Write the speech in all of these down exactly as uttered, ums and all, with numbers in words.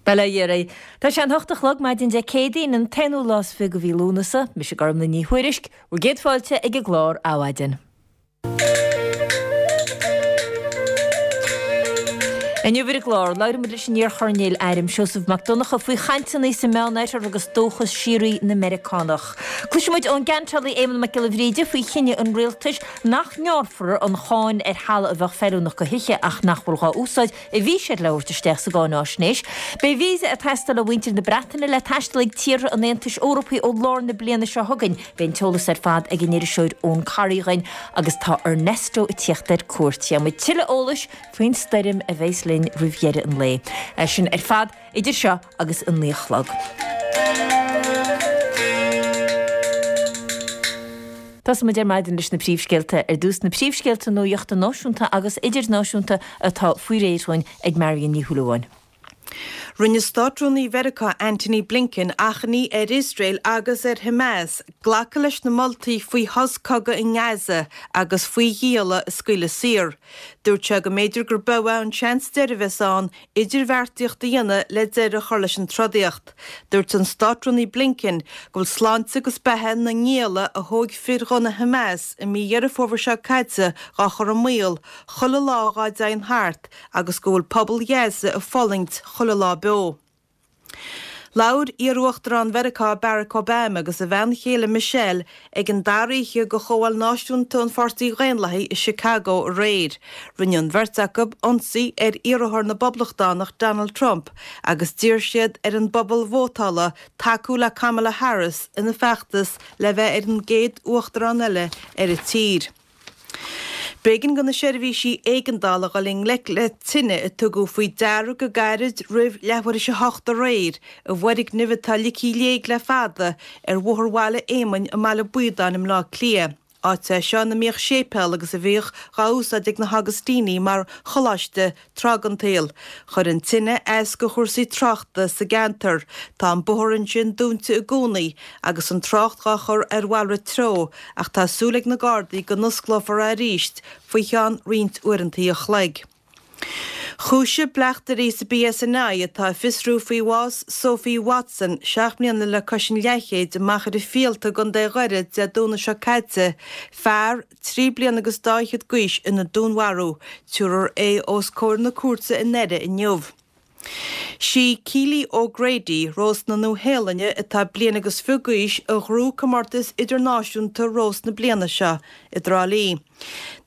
Bail ó Dhia oraibh. Tá sé an hocht a chlog maidin Dé Céadaoin, an t-aonú lá is fiche de mhí Lúnasa. Mise Gormlaith Ní Thuairisg, bhur gcéad fáilte ag an gclár Adhmhaidin. Inniu ar an gclár, labhróidh muid leis an iar-choirnéal airm Seosamh Mac Donncha faoi chainteanna sa Meánoirthear agus dóchas síoraí na Meiriceánach. Cloisfidh muid ón gceantálaí Éamonn Mac Giolla Bhríde faoi chinneadh an rialtais nach ngearrfar an cháin ar thalamh a bheadh feiliúnach do thithe ach nach bhfuil dhá úsáid a bhí siad le thabhairt isteach sa gcáináisnéis. Beidh víosa ag teastáil ó mhuintir na Breataine le taisteal ag tíortha an Aontais Eorpaigh ó lár na bliana seo chugainn. Beidh an t-eolas ar fad ag an iriseoir Eoin Corry dhúinn agus tá Ernesto ag tíocht ar cuairt. Gheobhaidh muid tuilleadh eolais faoin stoirm a bheas linn roimh dheireadh an lae. É sin ar fad idir seo agus a naoi a chlog. Tosóidh muid ar maidin leis na príomhscéalta. Ar dtús na príomhscéalta nuachta náisiúnta agus idirnáisiúnta atá faoi réir dhúinn ag Marion Ní Shúilleabháin. Rinne Státrúnaí Mheiriceá Antony Blinken achainí ar Iosrael agus ar Hamas glacadh leis na moltaí faoi shos cogaidh i nGaza agus faoi ghialla a scaoileadh saor. Dúirt sé go mb'fhéidir gur b'eo é an seans deiridh a bheas ann idirbheartaíocht a dhéanamh le deireadh a chur leis an trodaíocht. Dúirt an Státrúnaí Blinken go bhfuil sláinte agus beatha na ngialla a thóig fir ghunna Hamas i mí Dheireadh Fómhair seo caite dhá chur i mbaol chuile lá dhá dtéann thart agus go bhfuil pobal Ghaza ag fulaingt chuile lá beo. Labhair iar-Uachtarán Mheiriceá Barack Obama agus a bhean chéile Michelle ag an dara oíche de Chomhdháil Náisiúnta an Pháirtí Dhaonlathaigh i Chicago aréir. Rinne an bheirt acu ionsaí ar iarrthóir na bPoblachtánach Donald Trump agus d'iarr siad ar an bpobal vótála tacú le Kamala Harris ina feachtas le bheith ar an gcéad uachtarán eile ar an tír. B'éigean do na seirbhísí éigeandála dhul i ngleic le tine a tugadh faoi deara go gairid roimh leathuair théis a hocht aréir i bhfoirgneamh atá ligthe i léig le fada ar Bhóthar Bhaile Éamainn i mBaile Baodáin i mBleá Cliath. Áit é seo ina mbíodh séipéal agus a bhíodh dhá úsáid ag na hAugustínigh mar choláiste tráth den tsaol. Chuir an tine as do chúrsaí tráchta sa gceantar. Tá an bóthar ansin dúnta i gcónaí agus an trácht dhá chur ar mhalrait treo ach tá súil ag na Gardaí go n-osclófar é arís faoi cheann roinnt uaireantaí a chloig. Chúisigh bleachtairí sa BSNI atá ag fiosrú faoi bhás Sophie Watson, seacht mbliana le cois an leathchéid, i Machaire Fíolta i gContae Dhoire Dé Domhnaigh seo caite, fear trí bliana agus dá fhichead d'aois ina dúnmharú. Tabharfar é os comhair na cúirte i nDoire inniu. Sí Keely O'Grady, rós na Nua-Shéalainne atá bliain agus fiche d'aois, a ghnóthaigh comórtas idirnáisiúnta rós na bliana seo i dTrá Lí.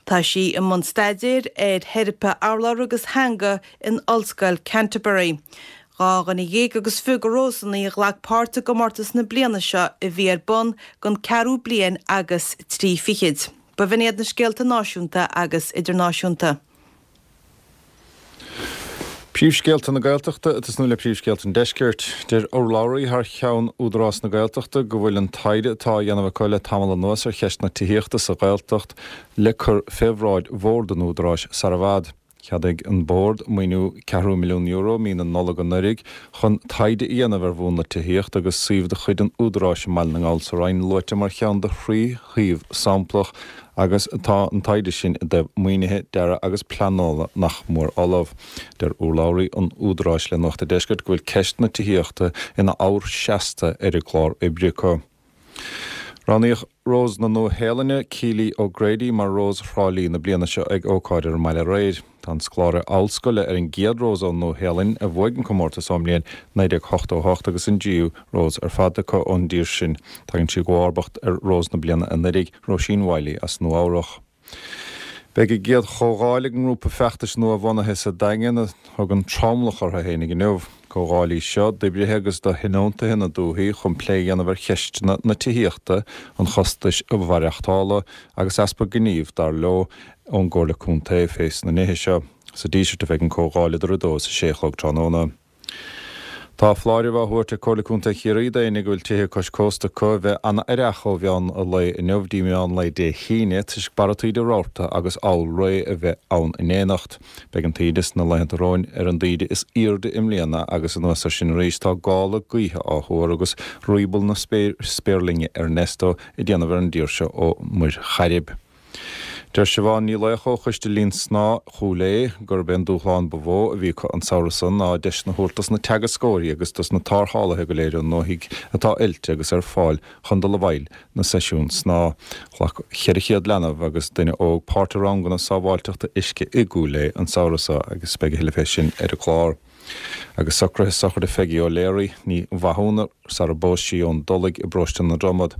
Tá sí i mbun staidéir ar theiripe urlabhra agus theanga in Ollscoil Canterbury. Dhá dhuine dhéag agus fiche de rósanna a ghlac páirt i gcomórtas na bliana seo a bhí ar bun don ceathrú bliain agus trí fichid. B'in iad na scéalta náisiúnta agus idirnáisiúnta. Príomhscéalta na Gaeltachta ag tosnú le príomhscéalta an Deiscirt. Deir urlabhraí thar cheann Údarás na Gaeltachta go bhfuil an taighde atá á dhéanamh acu le tamall anuas ar cheist na tithíochta sa Ghaeltacht le cur fé bhráid Bhord an Údaráis sar i bhfad. Cheadaigh an Bord maoiniú ceathrú milliún euro mí na Nollag anuraidh chun taighde a dhéanamh ar mhúnla tithíochta agus suíomh de chuid an Údaráis i mBaile na nGall sa Rinn luaite mar cheann de thrí shuíomh samplach agus tá an taighde sin i dtaobh maoinithe, dearaidh agus pleanála nach mór ullamh. Deir urlabhraí an Údaráis le Nuacht an Deiscirt go bhfuil ceist na tithíochta ina ábhar seasta ar a gclár oibre acu. Roghnaíodh Rós na Nua-Shéalainne, Keely O'Grady, mar Rós Thrá Lí na bliana seo ag ócáid ar an mbaile aréir. Tá an scoláire ollscoile ar an gcéad Rós ón Nua-Shéalainn a bhuaigh an comórtas ón mbliain naoi déag ochtó a hocht agus an dtríú Rós ar fad acu ón dtír sin. Tagann sí i gcomharbacht ar Rós na bliana anuraidh, Róisín Wylie as Nua-Eabhrac. Beidh a gcéad chomhdháil ag an ngrúpa feachtais nua-bhunaithe sa Daingean a thugann Tromlach orthu fhéinig inniu. Comhdháil í seo d'oibrithe agus do thionóntaithe na dúthaí chun plé a dhéanamh ar cheisteanna na tithíochta, an chostais mhaireachtála agus easpa gnímh, dar leo, ón gComhairle Contae fés na nithe seo. Sa Díseart a bheidh an comhdháil idir a dó is a sé a chlog tráthnóna. Tá foláireamh á thabhairt ag Comhairle Contae Chiarraí d'éinne go bhfuil tithe cois cósta acu a bheith an-aireach ó mheán lae inniu dtí meán lae Dé hAoine toisc barra taoide rabharta agus oll-ré a bheith ann in éineacht. Beidh an taoide sna laethanta romhainn ar an dtaoide is airde i mbliana agus anuas air sin arís tá gála gaoithe á thuar agus rioball na spéirlinge Ernesto ag déanamh ar an dtír seo ó Mhuir Chairib. Deir Siobhán Ní Laocha ó Choiste Linn Snámha Chúil Aodha gurb é an dúshlán ba mhó a bhí acu an samhradh seo ná deiseanna a thabhairt dos na teagascóirí agus dos na tarrthálaithe go léir i ndúthaigh atá oilte agus ar fáil chun dul i bhfeighil na seisiún snámha. Ghlac ceithre chéad leanbh agus duine óg páirt i ranganna sábháilteachta uisce i gCúil Aodha an samhradh seo agus beidh a thuilleadh fé sin ar an gclár. Agus socruithe sochraide Pheigí O'Leary, ní Mhathúna, sara bpós sí ón dTulaigh i bparóiste na Dromad.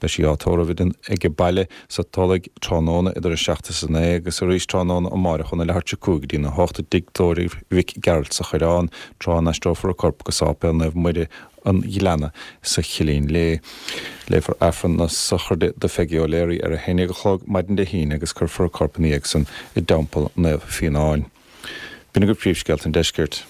Beidh sí á tórramh ag baile sa Tulaigh tráthnóna idir a seacht is a naoi agus arís tráthnóna amárach óna leathuair tar éis a cúig go dtí a hocht i dtigh tórraimh Mhic Gearailt sa Choireán, tráth a n-aistreofar a corp go Sáipéal Naomh Muire an Ghleanna sa Chillín Léith. Léifear Aifreann na sochraide do Pheigí O'Leary ar a haon déag a chlog maidin Dé hAoine agus cuirfear a corp ina dhiaidh san i dTeampall Naomh Fíonáin. B'in agaibh príomhscéalta an deiscirt.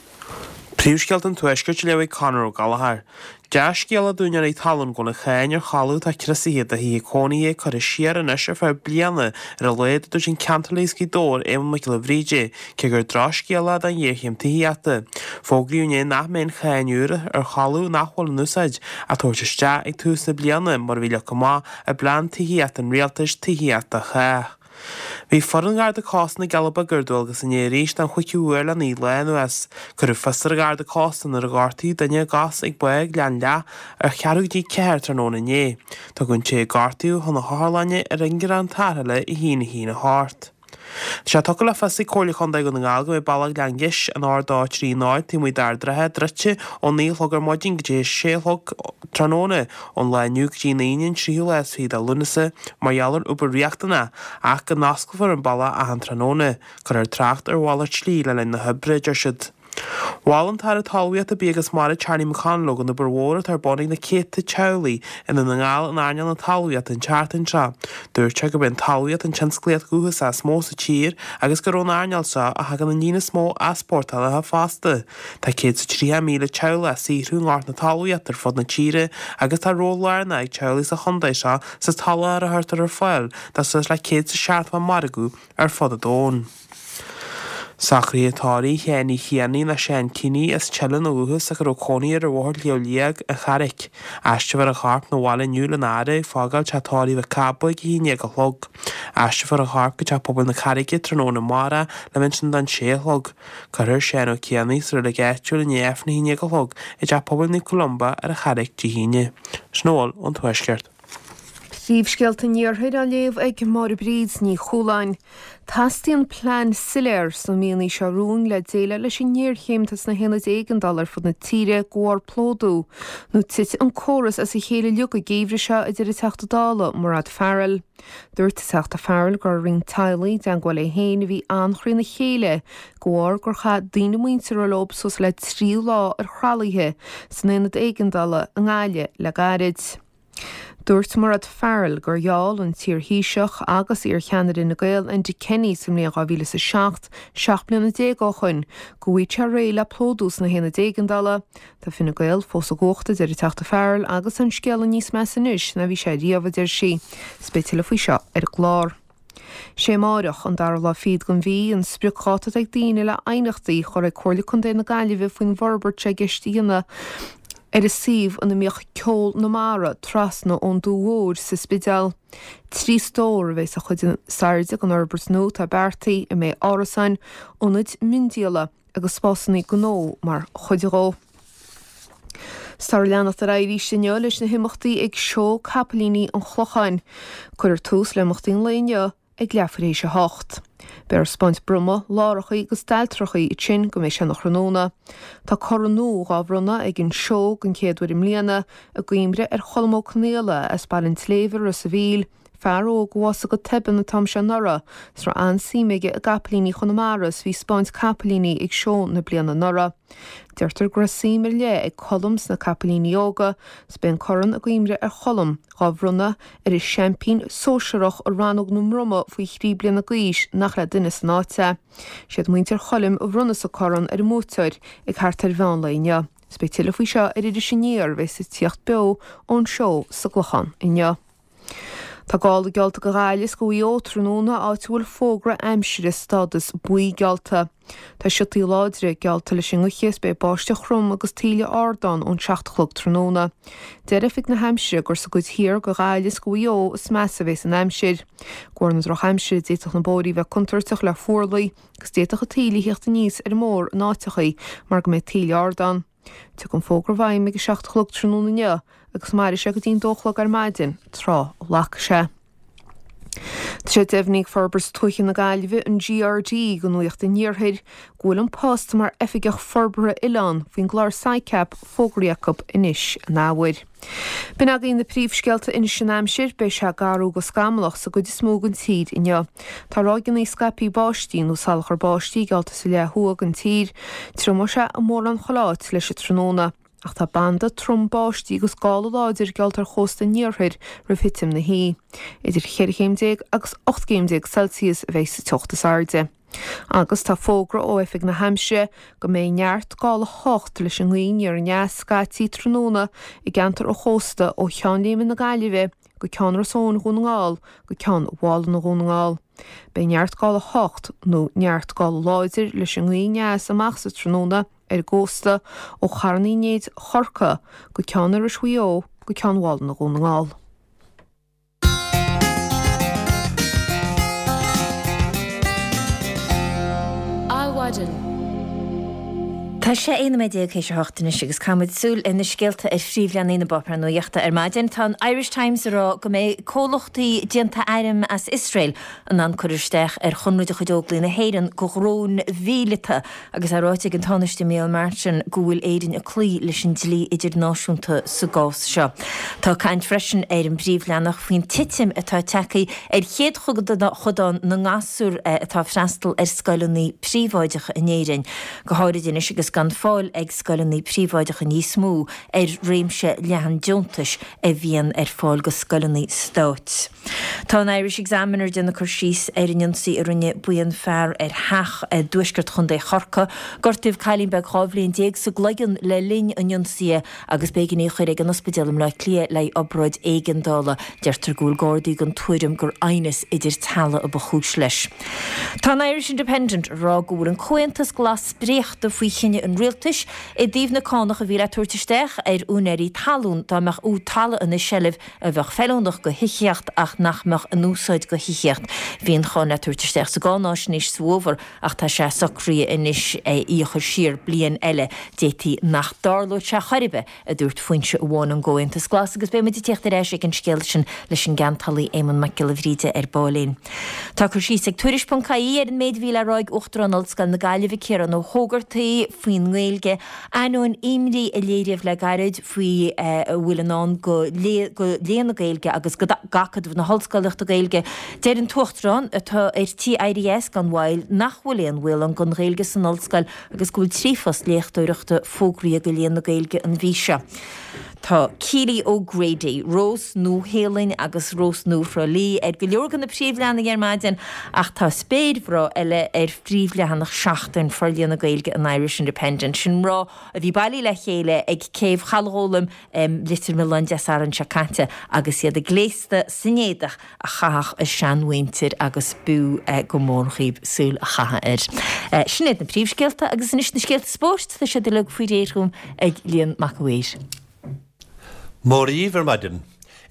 Príomhscéalta an Tuaiscirt á léamh ag Conor Ó Gallchóir. Dea-scéala d'úinéirí talún go bhfuil an cháin ar thalamh atá criosaithe do thithe cónaithe curtha siar anois ar feadh bliana ar a laghad a dúirt an Ceantálaí as Gaoth Dobhair Éamonn Mac Giolla Bhríde, cé gur drochscéala é don ghéarchéim tithíochta. Fógraíodh inné nach mbeidh an cháin úr ar thalamh nach bhfuil in úsáid á tabhairt isteach ag tús na bliana mar a bhí leagtha amach i bplean tithíochta an rialtais Tithíocht do Chách. Bhí foireann Gharda Cósta na gCealla Beaga ar dualgas inné arís don chúigiú huair le naoi lá anuas. Cuireadh fios ar an Gharda Cósta nuair a gortaíodh duine a gcos ag Bá Ghleann Leath ar cheathrú go dtí ceathair tráthnóna inné. Tugadh an té a gortaíodh chun na hotharlainne ar ingearán tarrthála a haon a haon a hocht. Tá sé tugtha le fios ag Comhairle Chontae Dhún na nGall go mbeidh Bealach Ghleann Gis, an R dó trí náid, taobh amuigh d'Ard an Rátha, druidte ó naoi a chlog ar maidin go dtí a sé a chlog tráthnóna ón lá inniu go dtí an Aoine an tríú lá is fiche de Lúnasa mar gheall ar obair riachtanach ach go n-osclófar an bealach achan tráthnóna. Cuirfear trácht ar mhalairt slí le linn na hoibre, a deir siad. Mhol an tAire Talmhaíochta, Bia agus Mara Charlie McConalogue an obair mhór atá ar bun ag na céadta teaghlaigh i nDún na nGall in earnáil na talmhaíochta an tseachtain seo. Dúirt sé gurb é an talmhaíocht an tionsclaíocht dhúchasach is mó sa tír agus gur ón earnáil seo a thagann an líon is mó easpórtálacha fosta. Tá céad is tríocha míle teaghlach ag saothrú i ngort na talmhaíochta ar fud na tíre agus tá ról lárnach ag teaghlaigh sa chontae seo sa tsoláthar a chuirtear ar fáil do suas le céad is seachtó margadh ar fud an domhain. Socruithe tórraimh Sheáin Uí Chianaigh nó Seán Keaney as Teileann ó dhúchas ach a raibh cónaí air ar Bhóthar Shliabh Liag, an Charraic. Aistreofar a chorp 'na bhaile inniu lena fhaire ag fágáil teach tórraimh Mhic Cába ag a haon déag a chlog. Aistreofar a chorp go teach pobail na Carraige tráthnóna amárach le bheith ansin don sé a chlog. Cuirfear Seán Ó Cianaigh sa reilig áitiúil i ndiaidh Aifreann a haon déag a chlog i dteach pobail Naomh Columba ar an Charraic Dé hAoine. Sin a bhfuil ón Tuaisceart. Príomhscéalta an Iarthair á léamh ag Máire Bríd Ní Chualáin. Teastaíonn plean soiléir sna míonna seo romhainn le déileáil leis an ngéarchéim atá sna haonaid éigeandála ar fud na tíre de bharr plódú, nó titfidh an córas as a chéile uilig an geimhreadh seo, a deir an Teachta Dála Mairéad Farrell. Dúirt an Teachta Farrell go raibh roinnt teaghlaigh i dteagmháil léi féin a bhí an-chríonna chéile de bharr gur chaith daoine muinteartha leo suas le trí lá ar thralaithe san aonad éigeandála i nGaillimh le gairid. Dúirt Mairéad Farrell gur gheall an t-iar-Thaoiseach agus iar-cheannaire Fhine Gael Enda Kenny sa mbliain dhá mhíle is a seacht, seacht mbliana déag ó shoin, go bhfaigheadh sé réidh le plódú sna haonaid éigeandála. Tá Fine Gael fós i gcumhacht, a deir an Teachta Farrell, agus an scéal níos measa anois ná bhí sé riamh, a deir sí. 'S beidh tuilleadh faoi seo ar an gclár. Sé amáireach, an dara lá fichead den mhí, an spriocdháta atá ag daoine le aighneachtaí a chur ag Comhairle Contae na Gaillimhe faoin bhforbairt atá i gceist a dhéanamh ar an suíomh ina mbíodh Ceol na Mara trasna ón Dumha Mhór sa Spidéal. Trí stór a bheidh sa chuid is airde den fhorbairt nua atá beartaithe, a mbeidh árasáin, ionaid miondíola agus spásanna gnó mar chuid dhó. 'S táthar ag leanacht ar aghaidh arís inniu leis na himeachtaí ag Seó Capaillíní an Chlocháin. Cuirfear tús le himeachtaí an lae inniu ag leathuair théis a hocht. Beidh ar spáint broma, lárachaí agus dailtreachaí ansin go mbeidh sé ina thráthnóna. Tá corn nua dhá bhronnadh ag an seó den chéad uair i mbliana, i gcuimhne ar Cholm Ó Conaola as Baile an tSléibhe i Ros a' Mhíl, fear óg a bhásaigh go tobann an t-am seo anuraidh, 's raibh an-suim aige i gcapaillíní Chonamara 's bhí ag spáint capaillíní ag seó na bliana anuraidh. Deirtear go raibh suim ar leith ag Colm sna capaillíní óga, 's beidh an corn i gcuimhne ar Cholm dhá bhronnadh ar an seaimpín sóisearach i rannóg na mbroma faoi thrí bliana d'aois nach le duine san áit é. Siad muintir Choilm a bhronnfas an corn ar an mbuaiteoir ag thart ar mheán lae inniu. 'S beidh tuilleadh faoi seo ar Iris Aniar a bheas ag tíocht beo ón seó sa gClochán inniu. Tá gála geallta do Ghaillimh is do Mhaigh Eo tráthnóna áit a bhfuil fógra aimsire stádas buí geallta. Tá siotaí láidre geallta leis an ngaoth is beidh báisteach throm agus taoille ard ann ón seacht a chlog tráthnóna. Deir Oifig na hAimsire gur sa gcuid thiar de Ghaillimh is de Mhaigh Eo is measa a bheas an aimsir. De bharr na drochaimsire d'fhéadfadh na bóithrí bheith contúirteach le fuarlaigh agus d'fhéadfadh an taoille theacht aníos ar an mbóthar in áiteachaí mar go mbeidh taoille ard ann. Tiocfaidh an fógra i bhfeidhm ag a seacht a chlog tráthnóna inniu agus mairfidh sé go dtí an dó a chlog ar maidin, tráth a ghlacfaidh sé. Tá sé deimhnithe ag Forbairt Tuaithe na Gaillimhe, an GRD, do Nuacht an Iarthair, go bhfuil an post mar Oifigeach Forbartha Oileán faoin gclár SICAP fógraithe acu anois in athuair. B'in againn na príomhscéalta anois an aimsir, beidh sé garbh go scamallach sa gcuid is mó den tír inniu. Tá ráigeanna scaipthe báistí nó salachar báistí geallta sa leath thuaidh den tír. Triomóidh sé i mórán chuile áit leis an tráthnóna. Ach tá banda trom báistí agus gála láidir geallta ar chósta an iarthair roimh thitim na hoíche. Idir cheithre chéim déag agus ocht gcéim déag Celsius a bheidh sa teocht is airde. Agus tá fógra ó Oifig na hAimsire go mbeidh neart gála a hocht leis an ngaoth aniar aneas scaití tráthnóna i gceantar an chósta ó Cheann Léime na Gaillimhe go Ceann Ros Eoin Dhún na nGall go Ceann Mhálanna Dhún na nGall. Beidh neart gála a hocht nó neart gála láidir leis an ngaoth aneas amach sa tráthnóna ar an gcósta ó Charn Uí Néid Chorcaí go Ceann Iorrais Mhaigh Eo go Ceann Mhálanna Dhún na nGall. Adhmhaidin. Tá sé aon nóiméad déag théis a hocht anois agus caithfimid súil ar na scéalta ar phríomhleathanaigh na bpáipéar nuachta ar maidin. Tá an Irish Times ag rá go mbeidh comhlachtaí déanta airm as Iosrael in ann cur isteach ar chonradh de chuid Óglaigh na hÉireann do dhróin mhíleata agus é ráite ag an Tánaiste Micheál Martin go bhfuil Éirinn ag cloí leis an dlí idirnáisiúnta sa gcás seo. Tá caint freisin ar an bpríomhleathanach faoin titim atá tagtha ar chéadchodán na ngasúr atá ag freastal ar scoileanna príobháideacha in Éirinn, go háirid anois agus gan fáil ag scoileanna príobháideacha níos mó ar réimse leathan deontais a bhíonn ar fáil go scoileanna stáit. Tá an Irish Examiner ag déanamh cur síos ar an ionsaí a rinne buíon fear ar theach i dtuaisceart Chontae Chorcaí. Gortaíodh cailín beag dhá bhliain déag sa gcloigeann le linn an ionsaithe agus b'éigean í a chur ag an ospidéal i mBleá Cliath le haghaidh obráid éigeandála. Deirtear go bhfuil Gardaí den tuairim gur aighneas idir teaghlaigh a ba chúis leis. Tá an Irish Independent ag rá go bhfuil an Comhaontas Glas spréachta faoi chinneadh an rialtais i dtaobh na cánach a bhí le tabhairt isteach ar úinéirí talún dá mbeadh talamh ina seilbh a bheadh feiliúnach go thithíocht ach nach mbeadh in úsáid go thithíocht. Bhí an cháin le tabhairt isteach sa gcáináisnéis sa bhfómhar ach tá sé socraithe anois í a chur siar bliain eile. D'fhéadfaí nach dtarlódh sé chor ar bith, a dúirt foinse amháin ón gComhaontas Glas agus beidh muid ag tíocht ar ais ag an scéal sin leis an gceantálaí Éamonn Mac Giolla Bhríde ar baillín. Tá cur síos ag Tuairisc ponc ie ar an méid a bhí le rá ag Uachtarán Ollscoil na Gaillimhe, Ciarán Ó hÓgartaigh, faoin nGaeilge, ainneoin imní a léiríodh le gairid faoi a bhfuil i ndán go léann na Gaeilge agus d'Acadamh na hOllscolaíochta Gaeilge. Deir an tUachtarán, atá ar tí éirí as gan mhoill, nach bhfuil aon bhaol ann don Ghaeilge san Ollscoil agus go bhfuil trí phost léachtóireachta fógraithe do léann na Gaeilge an mhí seo. Tá Keely O'Grady, Rós Nua-Shéalainn agus Rós Nua Thrá Lí ar go leor de na príomhleathanaigh ar maidin ach tá spéir bhreá eile ar phríomhleathanach Seachtain Forléana Gaeilge an Irish Independent. Sin mná a bhí bailithe le chéile ag céibh Chaladh Ghólaim i Leitir Mealláin Dé Sathairn seo caite agus iad gléasta san éadach a chaitheadh a seanmhuintir agus b'fhiú go mór dhaoibh súil a chaitheamh air. Sin iad na príomhscéalta agus anois na scéalta spóirt, tá siad uilig faoi réir dhom ag Liam Mac a' Mhaoir. Móra dhíbh ar maidin.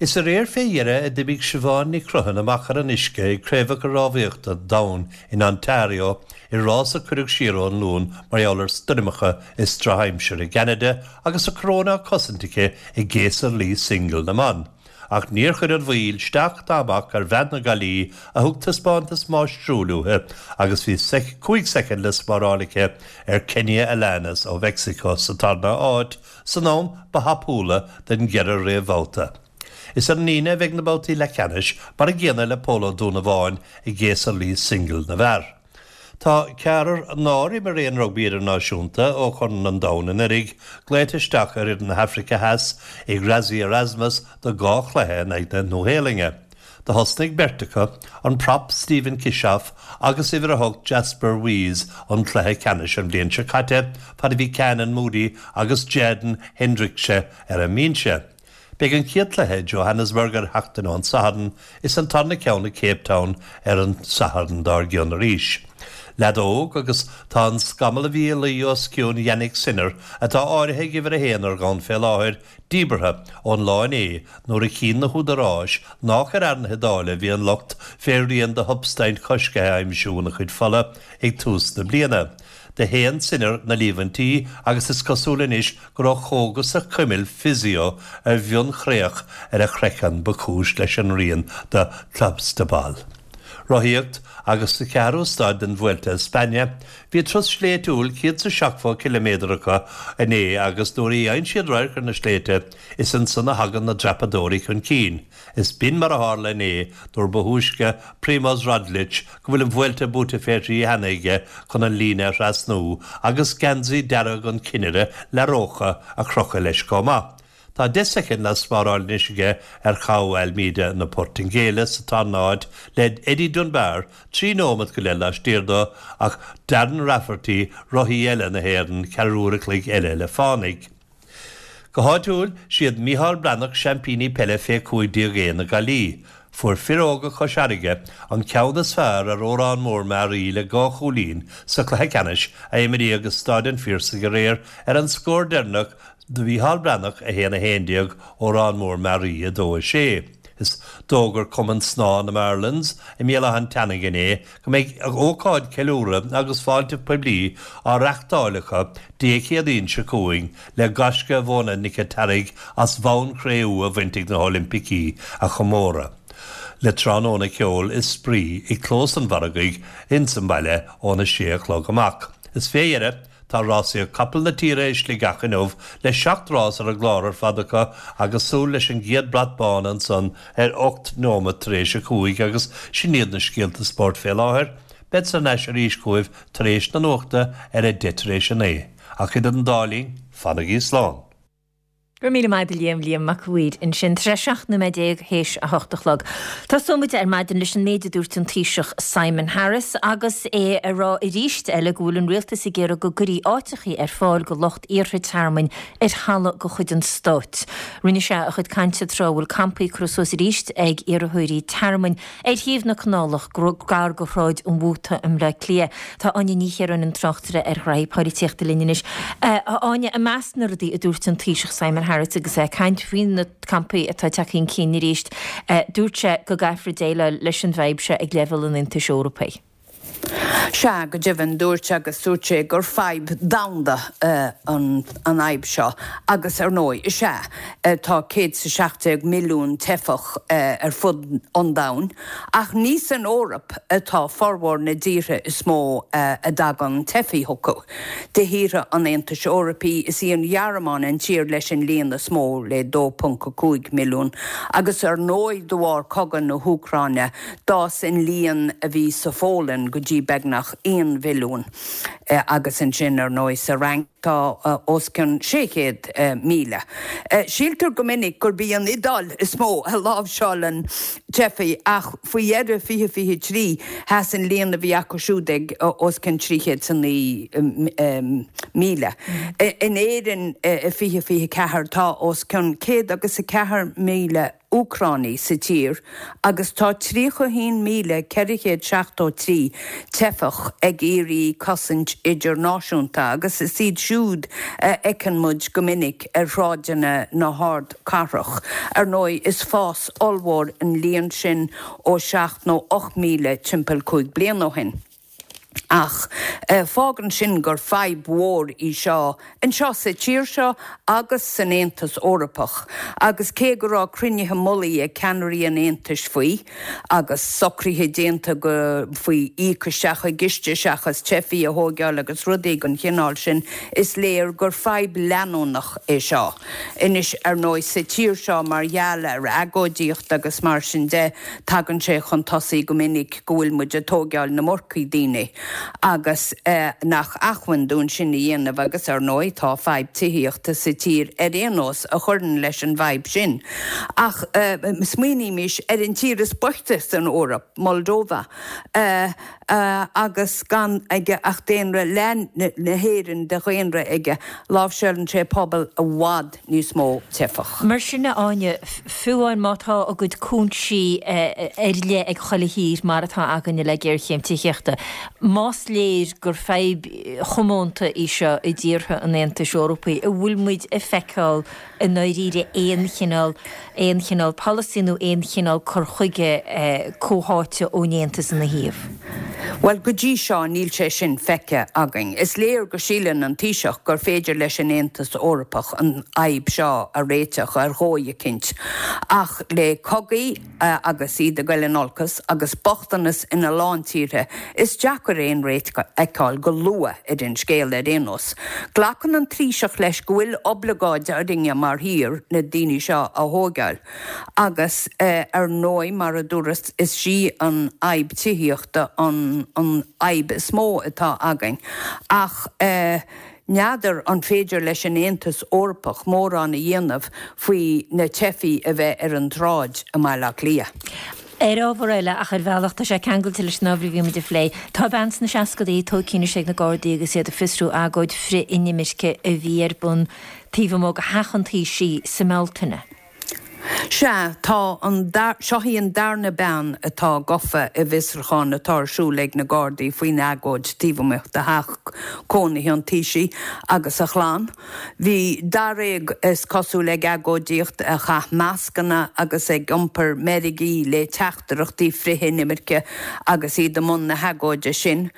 Is aréir fé dheireadh a d'imigh Siobhán Ní Chruthain amach ar an uisce ag Craobhacha Rámhaíochta an Domhain in Ontario i rás a cuireadh siar ón Luan mar gheall ar stoirmeacha is drochaimsir i gCeanada agus a coróin á cosaint aici i gcéasadh luí singil na mban. Ach níor chuir an mhoill isteach ná amach ar bhean na Gaillimhe a thug taispeántas máistriúil uaithi agus bhí cúig soicind le spáráil aici ar Kenia Alanis ó Mheicsiceo sa tarna háit san am ba thapúla den gceithre réamhbhabhta. Is ar an Aoine a bheidh na babhtaí leathcheannais, mar an gcéanna le Pól Ó Dúnabháin i gcéasadh luí singil na bhfear. Tá ceathrar nár imir aon rugbaí idirnáisiúnta ó Chorn an Domhain anuraidh glaoite isteach ar fhoireann na hAfraice Theas ag Rassie Erasmus do dhá chluiche in aghaidh na Nua-Shéalainne. Do thosnaigh beirt acu, an prop Steven Kitshoff agus uimhir a hocht Jasper Wiese an cluiche ceannais an bhliain seo caite fad a bhí Canan Moodie agus Jaden Hendrikse ar an mbinse. Beidh an chéad chluiche i Johannesburg ar a hocht an Satharn is an tarna ceann i Cape Town ar an Satharn dár gcionn arís. Leadóg agus tá an scamall a bhí ag luí os cionn Jannik Sinner atá áirithe ag uimhir a haon ar domhan fé láthair, díbeartha ón lá inné nuair a chinn na húdaráis nách ar fhear na hIodáile a bhí an locht fé rian de shubstaint choiscthe a aimsiú ina chuid fola ag tús na bliana. Do shéan Sinner na líomhaintí agus is cosúil anois go raibh cógas a chuimil physio ar mhionchreach ar a chraiceann ba chúis leis an rian de clostebol. Rothaíocht agus sa cheathrú staid den Vuelta a España, bhí turas sléibhtiúil céad is a seachtó ciliméadar acu inné agus nuair a fhaigheann siad radharc ar na sléibhte is ansan a thagann na dreapadóirí chun cinn. Is b'in mar a tharla inné nuair ba thúisce Primoz Roglic, go bhfuil an Vuelta buaite fé thrí cheana aige, chun an líne a thrasnú agus geansaí dearg an chinnire La Roja a chrochadh leis chomh maith. Tá deich soicind le spáráil anois aige ar João Almeida na Portaingéile sa tarna háit le Eddie Dunbar trí nóiméad go leith laistiar dó ach Darren Rafferty, rothaí eile na hÉireann, ceathrú uair a chloig eile le fánaidh. Go háitiúil, siad Micheál Breathnach seaimpíní peile fé cúig déag A na Gaillimhe. Fuair fir óga Chois Fharraige an ceann is fearr ar Órán Mór Mearaí le dhá chúilín sa chluiche ceannais a imríodh i Staid an Phiarsaigh aréir ar an scór deireanach do Mhícheál Breathnach a haon a haon déag, Órán Mór Mearaí a dó a sé. Is d'fhógair Cumann Snámha na Marlins i mBéal Átha an Tseanaigh inné go mbeidh ócáid ceiliúradh agus fáilte poiblí á reachtáil acu Dé Céadaoin seo chugainn le gaisce Mhona Nic an tSearraigh as bonn cré-umha a bhaint ag na hOilimpicí a chomóradh le tráthnóna ceoil is spraoi i gclós an mhargaidh ins an mbaile óna sé a chlog amach. Is fé dheireadh, tá rásaíocht capall na tíre i Sligeach inniu le seacht rás ar an gclár ar fad acu agus súil leis an gcéad brat bán ansan ar ocht nóiméad tar éis a cúig agus sin iad na scéalta spóirt fé láthair. Bead thar n-ais arís chugaibh tar éis na nuachta ar a deich tar éis a naoi. Ach idir an dá linn, fanaigí slán. Go raibh míle maith agat Liam, Liam Mac a' Mhaoir ansin. Tá sé seacht nóiméad déag théis a hocht a chlog. Tosóidh muid ar maidin leis an méid a dúirt an Taoiseach Simon Harris agus é ag rá arís eile go bhfuil an rialtas ag iarraidh go gcuirfí áiteachaí ar fáil go lucht iarrtha tearmainn ar thalamh de chuid an stáit. Rinne sé a chuid cainte tráth a bhfuil campaí curtha suas arís ag iarrthóirí tearmainn ar thaobh na canálach gar go Shráid an Mhóta i mBleá Cliath. Tá Áine Ní Chiaráin an tráchtaire ar ghraithí polaitíochta linn anois. A Áine, i measc na rudaí a dúirt an Taoiseach Simon Harris agus é ag caint faoi na campaí atá tagtha chun cinn arís, dúirt sé go gcaithfear déileáil leis an bhfadhb seo ag leibhéal an Aontais Eorpaigh. Sea, go deimhin, dúirt agus dúirt sé gur fadhb domhanda an fhadhb seo agus ar ndóigh, is ea, tá céad is a seacht déag milliún teifeach ar fud an domhain ach ní san Eoraip atá formhór na dtíortha is mó a dtagann teifigh chucu. De thíortha an Aontais Eorpaigh, is í an Ghearmáin an tír leis an líon is mó, le dó ponc a cúig milliún, agus ar ndóigh de bharr cogadh na hÚcráine, d'fhás an líon a bhí sa Pholainn go dtí beagnach aon mhilliún, agus ansin ar ndóigh sa Fhrainc tá os cionn sé chéad míle. Síltear go minic gurb í an Iodáil is mó a láimhseálann teifigh ach faoi dheireadh fiche fiche trí sheas an líon a bhí acu siúd ag os cionn trí chéad is a naoi míle. In Éirinn i fiche fiche ceathair tá os cionn céad agus a ceathair míle Úcránaigh sa tír agus tá tríocha a haon míle ceithre chéad seachtó trí teifeach ag iarraidh cosaint idirnáisiúnta agus is iad siúd a fheiceann muid go minic ar shráideanna na hardchathrach. Ar ndóigh, is fás ollmhór an líon sin ó seacht nó ocht míle timpeall cúig bliana ó shin. Ach fágann sin gur fadhb mhór í seo anseo sa tír seo agus san Aontas Eorpach. Agus cé go raibh cruinnithe mullaigh ag ceannairí an Aontais faoi, agus socruithe déanta go faoi íoc isteach i gciste seachas teifigh a thóigeáil agus rudaí den chineál sin, is léir gur fadhb leanúnach é seo. Anois, ar ndóigh, sa tír seo mar gheall ar agóidíocht agus mar sin de, tagann sé chun tosaigh go minic go bhfuil muid ag tóigeáil na marcaí daoine. agus nach acmhainn dúinn sin a dhéanamh agus ar ndóigh tá fadhb tithíochta sa tír ar aon nós a chuireann leis an bhfadhb sin. Ach smaoinímis ar an tír is boichte san Eoraip, Moldova, agus gan aige ach daonra leath na hÉireann de dhaonra aige, láimhseálann sé pobal i bhfad níos mó teifeach. Mar sin, a Áine, fiú amháin má tá a gcuid cúinsí ar leith ag chuile thír mar atá againne le géarchéim tithíochta, más léir gur fadhb chomónta í seo i dtíortha an Aontais Eorpaigh, an bhfuil muid ag feiceáil i ndáiríre aon chineál aon chineál polasaí nó aon chineál cur chuige comhtháite ón Aontas ina thaobh? Bhuel, go dtí seo níl sé sin feicthe againn. Is léir go síleann an Taoiseach gur féidir leis an Aontas Eorpach an fhadhb seo a réiteach ar dhóigh eicínt. Ach le cogaí agus iad ag goil in olcas agus bochtanas ina lán tíortha, is deacair aon réiteach a fheiceáil go luath ar an scéal ar aon nós. Glacann an Taoiseach leis go bhfuil oibleagáid orainne mar thír na daoine seo a thógáil. Agus ar ndóigh, mar a dúras, is í an fhadhb tithíochta an an fhadhb is mó atá againn. Ach n'fheadar an féidir leis an Aontas Eorpach mórán a dhéanamh faoi na teifigh a bheith ar an tsráid i mBaile Átha Cliath. Ar ábhar eile, ach ar bhealach tá sé ceangailte leis an ábhar a bhí muid a phlé, tá bean sna seascadaí tógtha anois ag na Gardaí agus iad ag fiosrú agóid frith-inimirce a bhí ar bun taobh amuigh de theach an Taoisigh sa mBealtaine. Sea, tá an, seo í an darna bean atá gafa i bhfiosrúchán atá ar siúl ag na Gardaí faoin agóid taobh amuigh de theach cónaithe an Taoisigh agus a chlann. Bhí daréag, is cosúil, ag agóidíocht, a chaith mascanna agus ag iompar meirgí le teachtaireachtaí frith-inimirce agus iad i mbun na hagóide sin.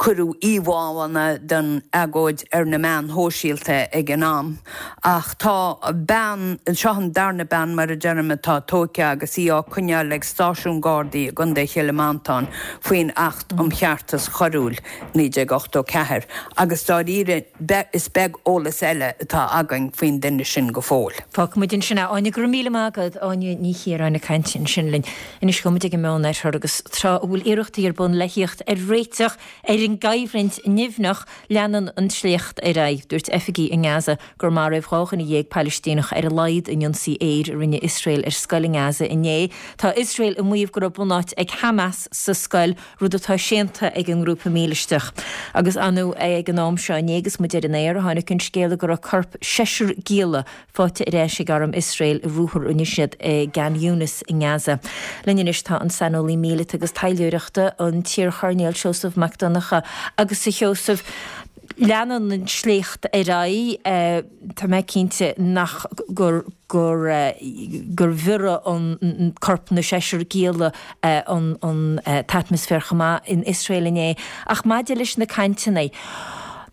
Cuireadh íomhánna den agóid ar na meáin shóisialta ag an am. Ach tá bean, seo an darna bean mar a deirim atá tógtha agus í á coinneáil ag stáisiún Gardaí i gContae Chill Mhantáin faoin Acht um Cheartas Choiriúil, naoi déag ochtó ceathair, agus dáiríre is beag eolas eile atá againn faoin duine sin go fóill. Fágfaidh muid ansin é. Áine, go raibh míle maith agat. Áine Ní Chiaráin ag caint ansin linn. Anois gabhfaidh muid ag an Meánoirthear agus tráth a bhfuil iarrachtaí ar bun le thíocht ar réiteach ar an gcoimhlint nimhneach, leanann an sléacht ar aghaidh. Dúirt oifigigh i nGaza gur maraíodh dhá dhuine dhéag Palaistíneach ar a laghad in ionsaí aeir a rinne Iosrael ar scoil i nGaza inné. Tá Iosrael ag maíomh go raibh bunáit ag Hamas sa scoil, rud atá séanta ag an ngrúpa mílisteach. Agus anu ag an am seo inné agus muid ar an aer, tháinig an scéala go raibh corp seisear gialla faighte ar ais ag arm Iosrael i ruathar a rinne siad i gKhan Younis i nGaza. Linn anois tá an saineolaí míleata agus taidhleoireachta, an t-iarchoirnéal Seosamh Mac Donncha. Agus a Sheosaimh, leanann an sléacht ar aghaidh, tá mé cinnte nach gur gur gur bhiorraigh an corp na seisear gialla an an t-atmaisféar chomh maith in Iosrael inné. Ach maidir leis na cainteanna,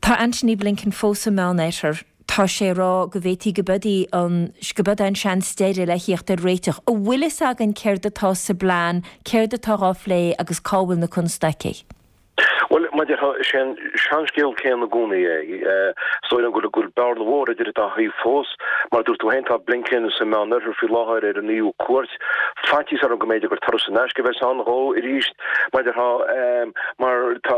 tá Antony Blinken fós sa Meánoirthear, tá sé ag rá go bhféadfaí go b'eod í an go b'eod é an seans deiridh le thíocht ar réiteach. An bhfuil fhios againn céard atá sa bplean, céard atá á phlé agus cá bhfuil na constaicí? Bhuel, mar a déarfá, is é an seanscéal céanna i gcónaí é. Is dóigh liom go bhfuil bearna mhór idir an dá thaobh fós. Mar a dúirt tú féin, tá Blinken sa Meánoirthear faoi láthair ar a naoú cuairt. Faitíos orm go mb'fhéidir gur turas in aisce a bheas ann dhó arís, mar a déarfá, mar tá,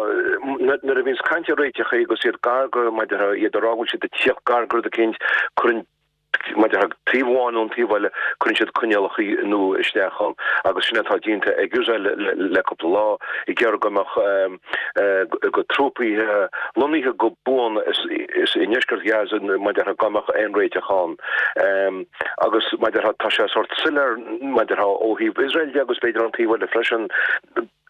nuair a bhíonns caint ar réiteach agus iad gar go, mar a déarfá, iad ag rá go bhfuil siad ag tíocht gar go rud eicínt, cuireann, mar a déarfá, taobh amháin nó an taobh eile, cuireann siad coinníollacha nua isteach ann agus sin atá déanta ag Iosrael le cúpla lá, ag iarraidh go mbeadh go trúpaí lonnaithe go buan i ndeisceart Ghaza, mar a déarfá, dá mbeadh aon réiteach ann. Agus mar a déarfá, tá sé sórt soiléir, mar a déarfá, ó thaobh Iosrael de agus b'fhéidir ón taobh eile freisin,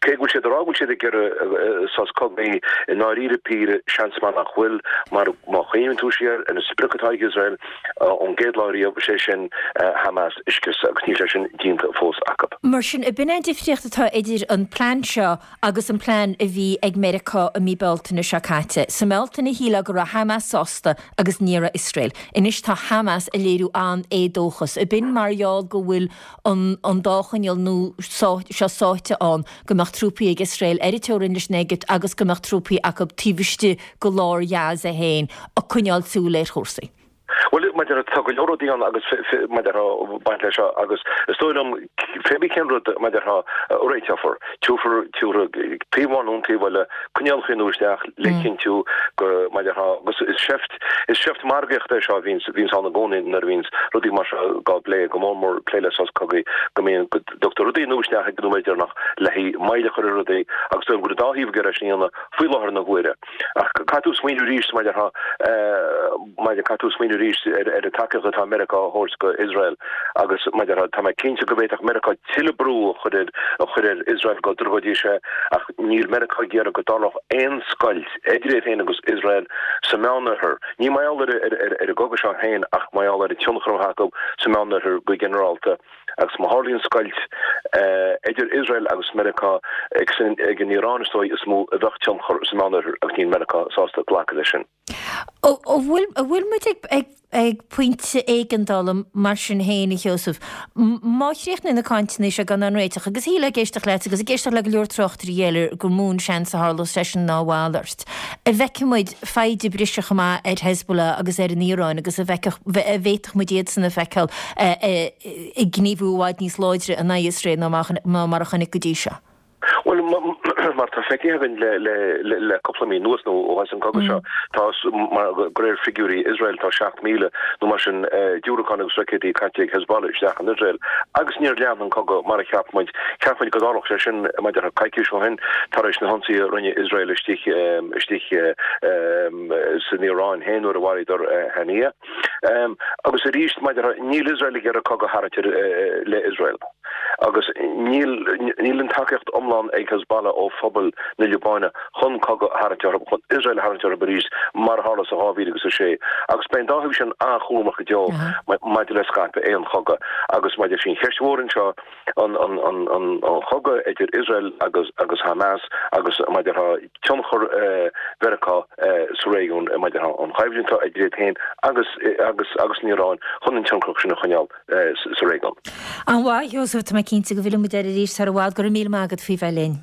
Cé go bhfuil siad ag rá go bhfuil siad ag iarraidh sos cogaidh, i ndáiríre píre, seans maith nach bhfuil, mar má chuimhníonn tú siar ar an sprioc atá ag Iosrael ón gcéad lá riamh, sé sin Hamas a scriosadh, agus níl sé sin déanta fós acu. Mar sin, ab in é an difríocht atá idir an plean seo agus an plean a bhí ag Meiriceá i mí Bealtaine seo caite. Sa mBealtaine shílfeá go raibh Hamas sásta agus ní raibh Iosrael. Anois tá Hamas ag léiriú an-éadóchas. Ab in mar gheall go bhfuil an an dá choinníoll nua seo sáite ann, go mbeadh trúpaí ag Iosrael ar an teorainn leis an Éigipt agus go mbeadh trúpaí acu taobh istigh de lár Ghaza féin ag coinneáil súil ar chúrsaí. Bhuel, mar a déarfá, tá go leor rudaí ann agus mar a déarfá baint leis seo agus is dóigh liom pé bí cén rud mar a déarfá a réiteofar, tabharfar tabharfaidh taobh amháin nó an taobh eile coinníollacha nua isteach le cinntiú go mar a déarfá agus is seift is seift margaíochta é seo a bhíonns bhíonns ann i gcónaí nuair a bhíonns rudaí mar seo á bplé, go mór mór plé le sos cogaidh go mbíonn go dtugtar rudaí nua isteach ag an nóiméad deireanach le haghaidh moill a chur ar rudaí agus is dóigh liom go bhfuil an dá thaobh ag iarraidh sin a dhéanamh faoi láthair na huaire. Ach caithfidh tú smaoineamh arís mar a déarfá, mar caithfidh tú smaoineamh arís ar ar an tacaíocht atá Meiriceá a thabhairt go Iosrael agus mar a déarfá, tá mé cinnte go bhféadfadh Meiriceá tuilleadh brú a chur ar a chur ar Iosrael go dtroidfidís é ach níl Meiriceá ag iarraidh go dtarlódh aon scoilt idir iad féin agus Iosrael sa Meánoirthear. Ní mar gheall ar ar ar an gcogadh seo féin ach mar gheall ar an tionchar atá acu sa Meánoirthear go ginearálta. Agus má tharlaíonn scoilt idir Iosrael agus Meiriceá, ag an Iaráin is dóigh is mó a bheadh tionchar sa Meánoirthear agus níl Meiriceá sásta glacadh leis sin. An bhfuil muid ag pointe éigeandála mar sin féin, a Sheosaimh? Má chríochnaíonn na cainteanna seo gan aon réiteach, agus shílfeá ag éisteacht leat agus ag éisteacht le go leor tráchtairí eile gur mó an seans a tharlós sé sin ná a mhalairt, an bhfeicfidh muid foighde ag briseadh chomh maith ar Hezbollah agus ar an Iaráin agus an bhféadfadh muid iadsan a fheiceáil ag gníomhú i bhfad níos láidre in aghaidh Iosrael ná mar a chonaic go dtí seo. Bhuel, mar atá feicthe againn le cúpla mí anuas nó ó thosaigh an cogadh seo, tá, mar de réir figiúirí Iosrael, tá seacht míle nó mar sin diúracán agus roicéidí caite ag Hezbollah isteach in Iosrael agus níor lean an cogadh mar a cheap muid. Cheap muid go dtarlódh sé sin, mar a déarfá, coicís ó shin tar éis na hionsaithe a rinne Iosrael istigh istigh san Iaráin féin nuair a mharaíodar Haniyeh. Agus arís, mar a déarfá, níl Iosrael ag iarraidh cogadh a tharraingt le Iosrael. Agus níl níl an tacaíocht iomlán ag Hezbollah ó phobal na Liobáine chun cogadh a tharraingt orthu, chun Iosrael a tharraingt orthu arís, mar a tharla sa dhá mhíle agus a sé. Agus beidh an dá thaobh sin an-chúramach go deo maidir le scaipeadh aon chogadh. Agus maidir sin, ceist mhór anseo, an an an an chogadh idir Iosrael agus agus Hamas agus mar a déarfá, tionchar Mheiriceá sa réigiún maidir leis an choimhlint atá idir iad féin agus agus agus an Iaráin chun an tionchar sin a choinneáil sa réigiún. An-mhaith, a Sheosaimh, tá mé cinnte go bhfillfidh muid air arís sar i bhfad. Go raibh míle maith agat faoi bheith linn.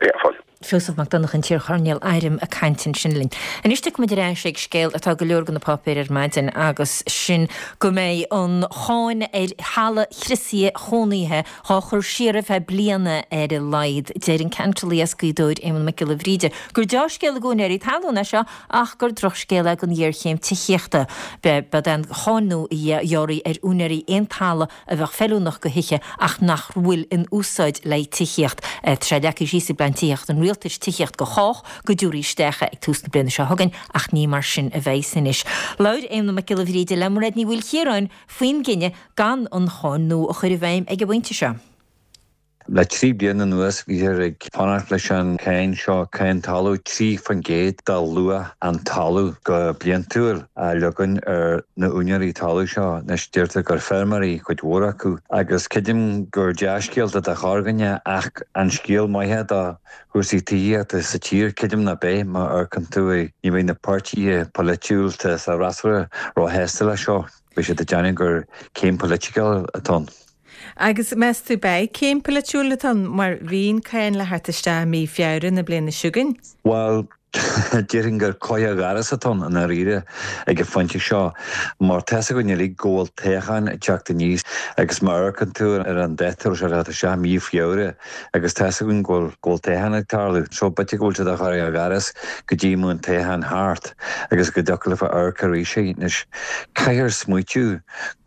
Yeah, fáilte. Seosamh Mac Donncha, an t-iar-choirnéal airm ag caint ansin linn. Anois tiocfaidh muid ar ais ag scéal atá go leor de na páipéir ar maidin agus sin go mbeidh an cháin ar thalamh chriosaithe chónaithe dhá chur siar ar feadh bliana ar a laghad. Deir an ceantálaí as Gaoth Dobhair, Éamonn Mac Giolla Bhríde, gur deá-scéal d'úinéirí talún é seo ach gur drochscéal é don ghéarchéim tithíochta. B'é an cháin nua a ghearrfaí ar úinéirí aon talamh a bheadh feiliúnach do thithe ach nach bhfuil in úsáid le tithíocht. Tá sé leagtha síos i bPlean Tithíochta an Rialtais, Tithíocht do Chách, go dtabharfaí isteach é ag tús na bliana seo chugainn ach ní mar sin a bheidhs anois. Labhair Éamonn Mac Giolla Bhríde le Mairéad Ní Mhaoilchiaráin faoin gcinneadh gan an cháin nua a chur i bhfeidhm ag an bpointe seo. Le trí bliana anuas bhíothar ag fanacht leis an cháin seo, cáin talún trí faoin gcéad de luach an talaimh go bliantúil a leagan ar na úinéirí talún seo. Anois deirtear gur feirmeoirí cuid mhór acu agus creidim gur dea-scéal do chorrdhuine ach an scéal maith do chúrsaí tithíochta sa tír, creidim ná beidh, má amharcann tú ní bheidh na páirtithe polaitiúla sa fhreasúra róshásta leis seo. Beidh siad ag déanamh gur céim polaitiúil atá ann. Agus meas tú beidh céim polaitiúil atá ann mar bhí an cáin le theacht isteach i mí Feabhra na bliana seo chugainn? Bhuel, déarfainn gur cloch ghairide atá ann i ndáiríre ag an phointe seo mar tá's againn uilig go bhfuil toghchán ag teacht aníos agus má amharcann tú ar an dáta a raibh sé le theacht isteach, mí Feabhra, agus tá's againn go bhfuil go bhfuil toghchán ag tarlú. So b'fhéidir go bhfuil siad á chur ar ghairide go dtí go mbeidh an toghchán thart agus go dtiocfadh leofa amharc arís air. Anois, caithfear smaoitiú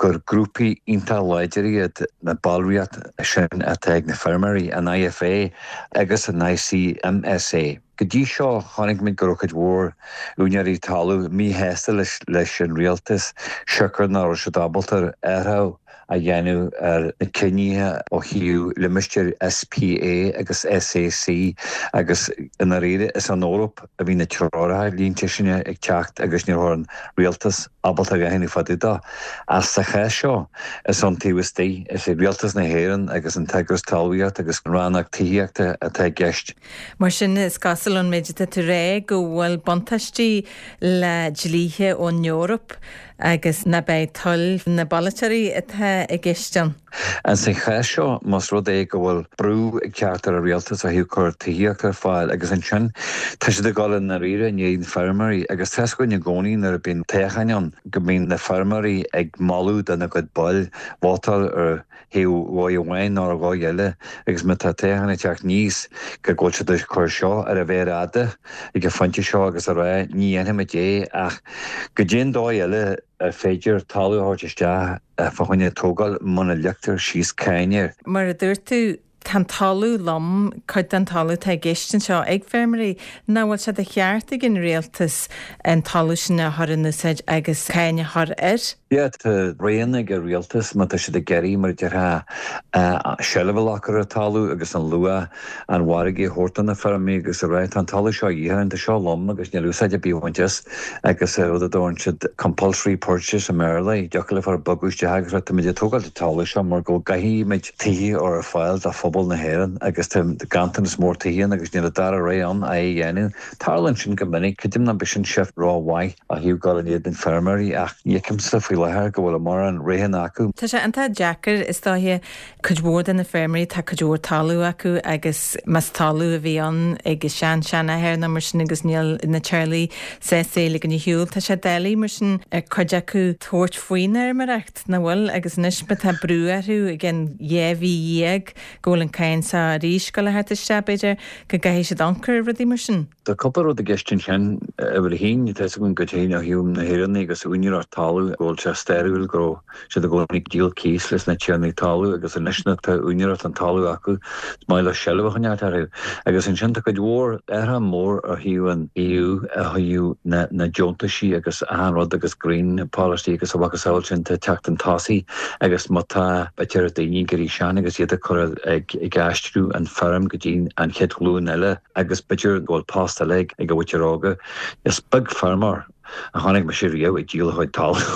gur grúpaí iontach láidir iad na ballraíocht sin atá ag na feirmeoirí, an IFA agus an ICMSA. Go dtí seo, chonaic muid go raibh cuid mhór úinéirí talún míshásta leis an rialtas siocair nach raibh siad ábalta athrú a dhéanamh ar na cinnithe ó thaobh limistéir SPA agus SAC agus i ndáiríre is ón Eoraip a bhí na treoracha línte sin ag teacht agus ní raibh an rialtas ábalta a dhéanamh fá dtaobh de. Ach sa chás seo is ón taobh istigh, is ag Rialtas na hÉireann agus an tEagras Talmhaíochta agus an Rannóg Tithíochta atá i gceist. Mar sin is cosúil ón méid atá tú a rá go bhfuil buntáistí le dlíthe ón Eoraip agus ná beidh toil na bpolaiteoirí atá i gceist ann. Ins an chás seo, más rud é go bhfuil brú ag teacht ar an rialtas ó thaobh cur tithíocht ar fáil agus ansin tá siad ag dul i ndáiríre in éadan feirmeoirí agus tá 'fhios againn i gcónaí nuair a bíonn toghcháin ann go mbíonn na feirmeoirí ag moladh dona gcuid baill vótáil ar thaobh dhóigh amháin nó ar dhóigh eile agus má tá toghchán ag teacht aníos go bhfuil siad ag cur seo ar an mhéar fhada ag an phointe seo agus a rá ní dhéanfaimid é ach goidé an dóigh eile ar féidir talamh a thabhairt isteach fá choinne tógáil muna leagtar síos cáin air. Mar a dúirt tú, tá an talamh lom, cuid den talamh atá i gceist anseo ag feirmeoirí, nach bhfuil sé de cheart ag an rialtas an talamh sin a chur in úsáid agus cáin a chur air? Yeah, tá roghanna ag an rialtas má tá siad ag iarraidh, mar a déarfá, seilbh a ghlacadh ar an talamh agus an luach an mhargaidh a thabhairt do na feirmeoirí agus a rá, tá an talamh seo a dhíth orainn, tá seo lom agus níl úsáid ar bith á bhaint as agus rud a dtabharann siad compulsory purchase i mBéarla, dtiocfadh le fear bogadh isteach agus rá táimid ag tógáil an talamh seo mar go gcaithfimid tithe a chur ar fáil do phobal na hÉireann agus tá ganntanas mór tithe ann agus níl an dara rogha ann é a dhéanamh. Tarlaíonn sin go minic, creidim nach b'shin seift rómhaith ó thaobh dul in éadan feirmeoirí ach ní fheicimse faoi láthair go bhfuil mórán roghanna acu. Tá sé iontach deacair, is dóiche, cuid mhór de na feirmeoirí, tá cuid mhór talamh acu agus más talamh a bhí ann ag a sean-seanathair nó mar sin agus níl na teaghlaigh sásta é a ligean ar shiúl, tá sé doiligh mar sin ar cuid acu tabhairt faoin fheirmeoireacht, nach bhfuil? Agus anois má tá brú orthu i gcionn dhá mhí dhéag go bhfuil an cáin seo arís ag dul a theacht isteach, b'fhéidir go gcaithfidh siad amharc ar rudaí mar sin. Tá cúpla rud i gceist ansin. Uimhir a haon, tá 'fhios againn go deimhin ó thaobh na hÉireann agus úinéireacht talamh go bhfuil sé stairiúil go raibh siad i gcónaí ag díol cíos leis na tiarnaí talún agus anois nuair atá úinéireacht an talaimh acu is maith leo seilbh a choinneáilt orthu. Agus ansin tá cuid mhór athrú mór ó thaobh an EU ó thaobh na na deontaisí agus achan rud agus green policy agus a mhacasamhail sin tá teacht chun tosaigh agus má tá b'fhéidir daoine ag éirí sean agus iad ag cur ag ag aistriú an feirm go dtí an chéad ghlúin eile agus b'fhéidir go bhfuil post eile ag ag an mhuintir óga. Is beag feirmeoir a chonaic mise riamh ag díol a chuid talamh.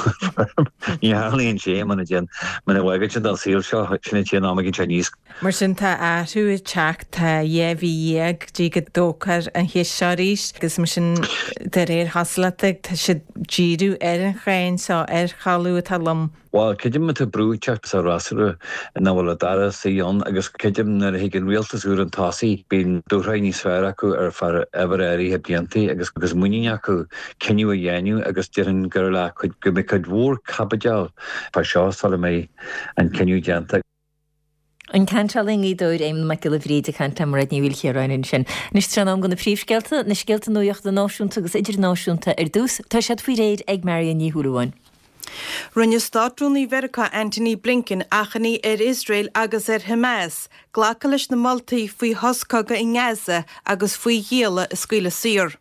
Ní tharlaíonn sé muna dtéann muna bhfágann siad an saol seo sin an t-aon am a gcinn sé níos. Mar sin tá athrú ag teacht, tá dhá mhí dhéag go dtí go dtógfar an cheist seo arís agus mar sin de réir chosúlachta tá siad ag díriú ar an cháin seo ar thalamh atá lom. Bhuel, creidim má tá brú ag teacht sa fhreasúra nach bhfuil an dara suí ann agus creidim nuair a thig an rialtas úr chun tosaigh bíonn dúshraith níos fearr acu ar feadh uimhir áirithe blianta agus agus muinín acu cinneadh a dhéanamh agus déarfainn gur le cuid go mbeidh cuid mhór caibidil fá seo sula mbeidh an cinneadh déanta. An ceantálaí i nGaoth Dobhair, Éamonn Mac Giolla Bhríde ag caint le Mairéad Ní Mhaoilchiaráin ansin. Anois tá sé in am do na príomhscéalta, na scéalta nuachta náisiúnta agus idirnáisiúnta ar dtús. Tá siad faoi réir ag Marion Ní Shúilleabháin. Rinne Státrúnaí Mheiriceá Antony Blinken achainí ar Iosrael agus ar Hamas glacadh leis na moltaí faoi shos cogaidh i nGaza agus faoi ghialla a scaoileadh saor.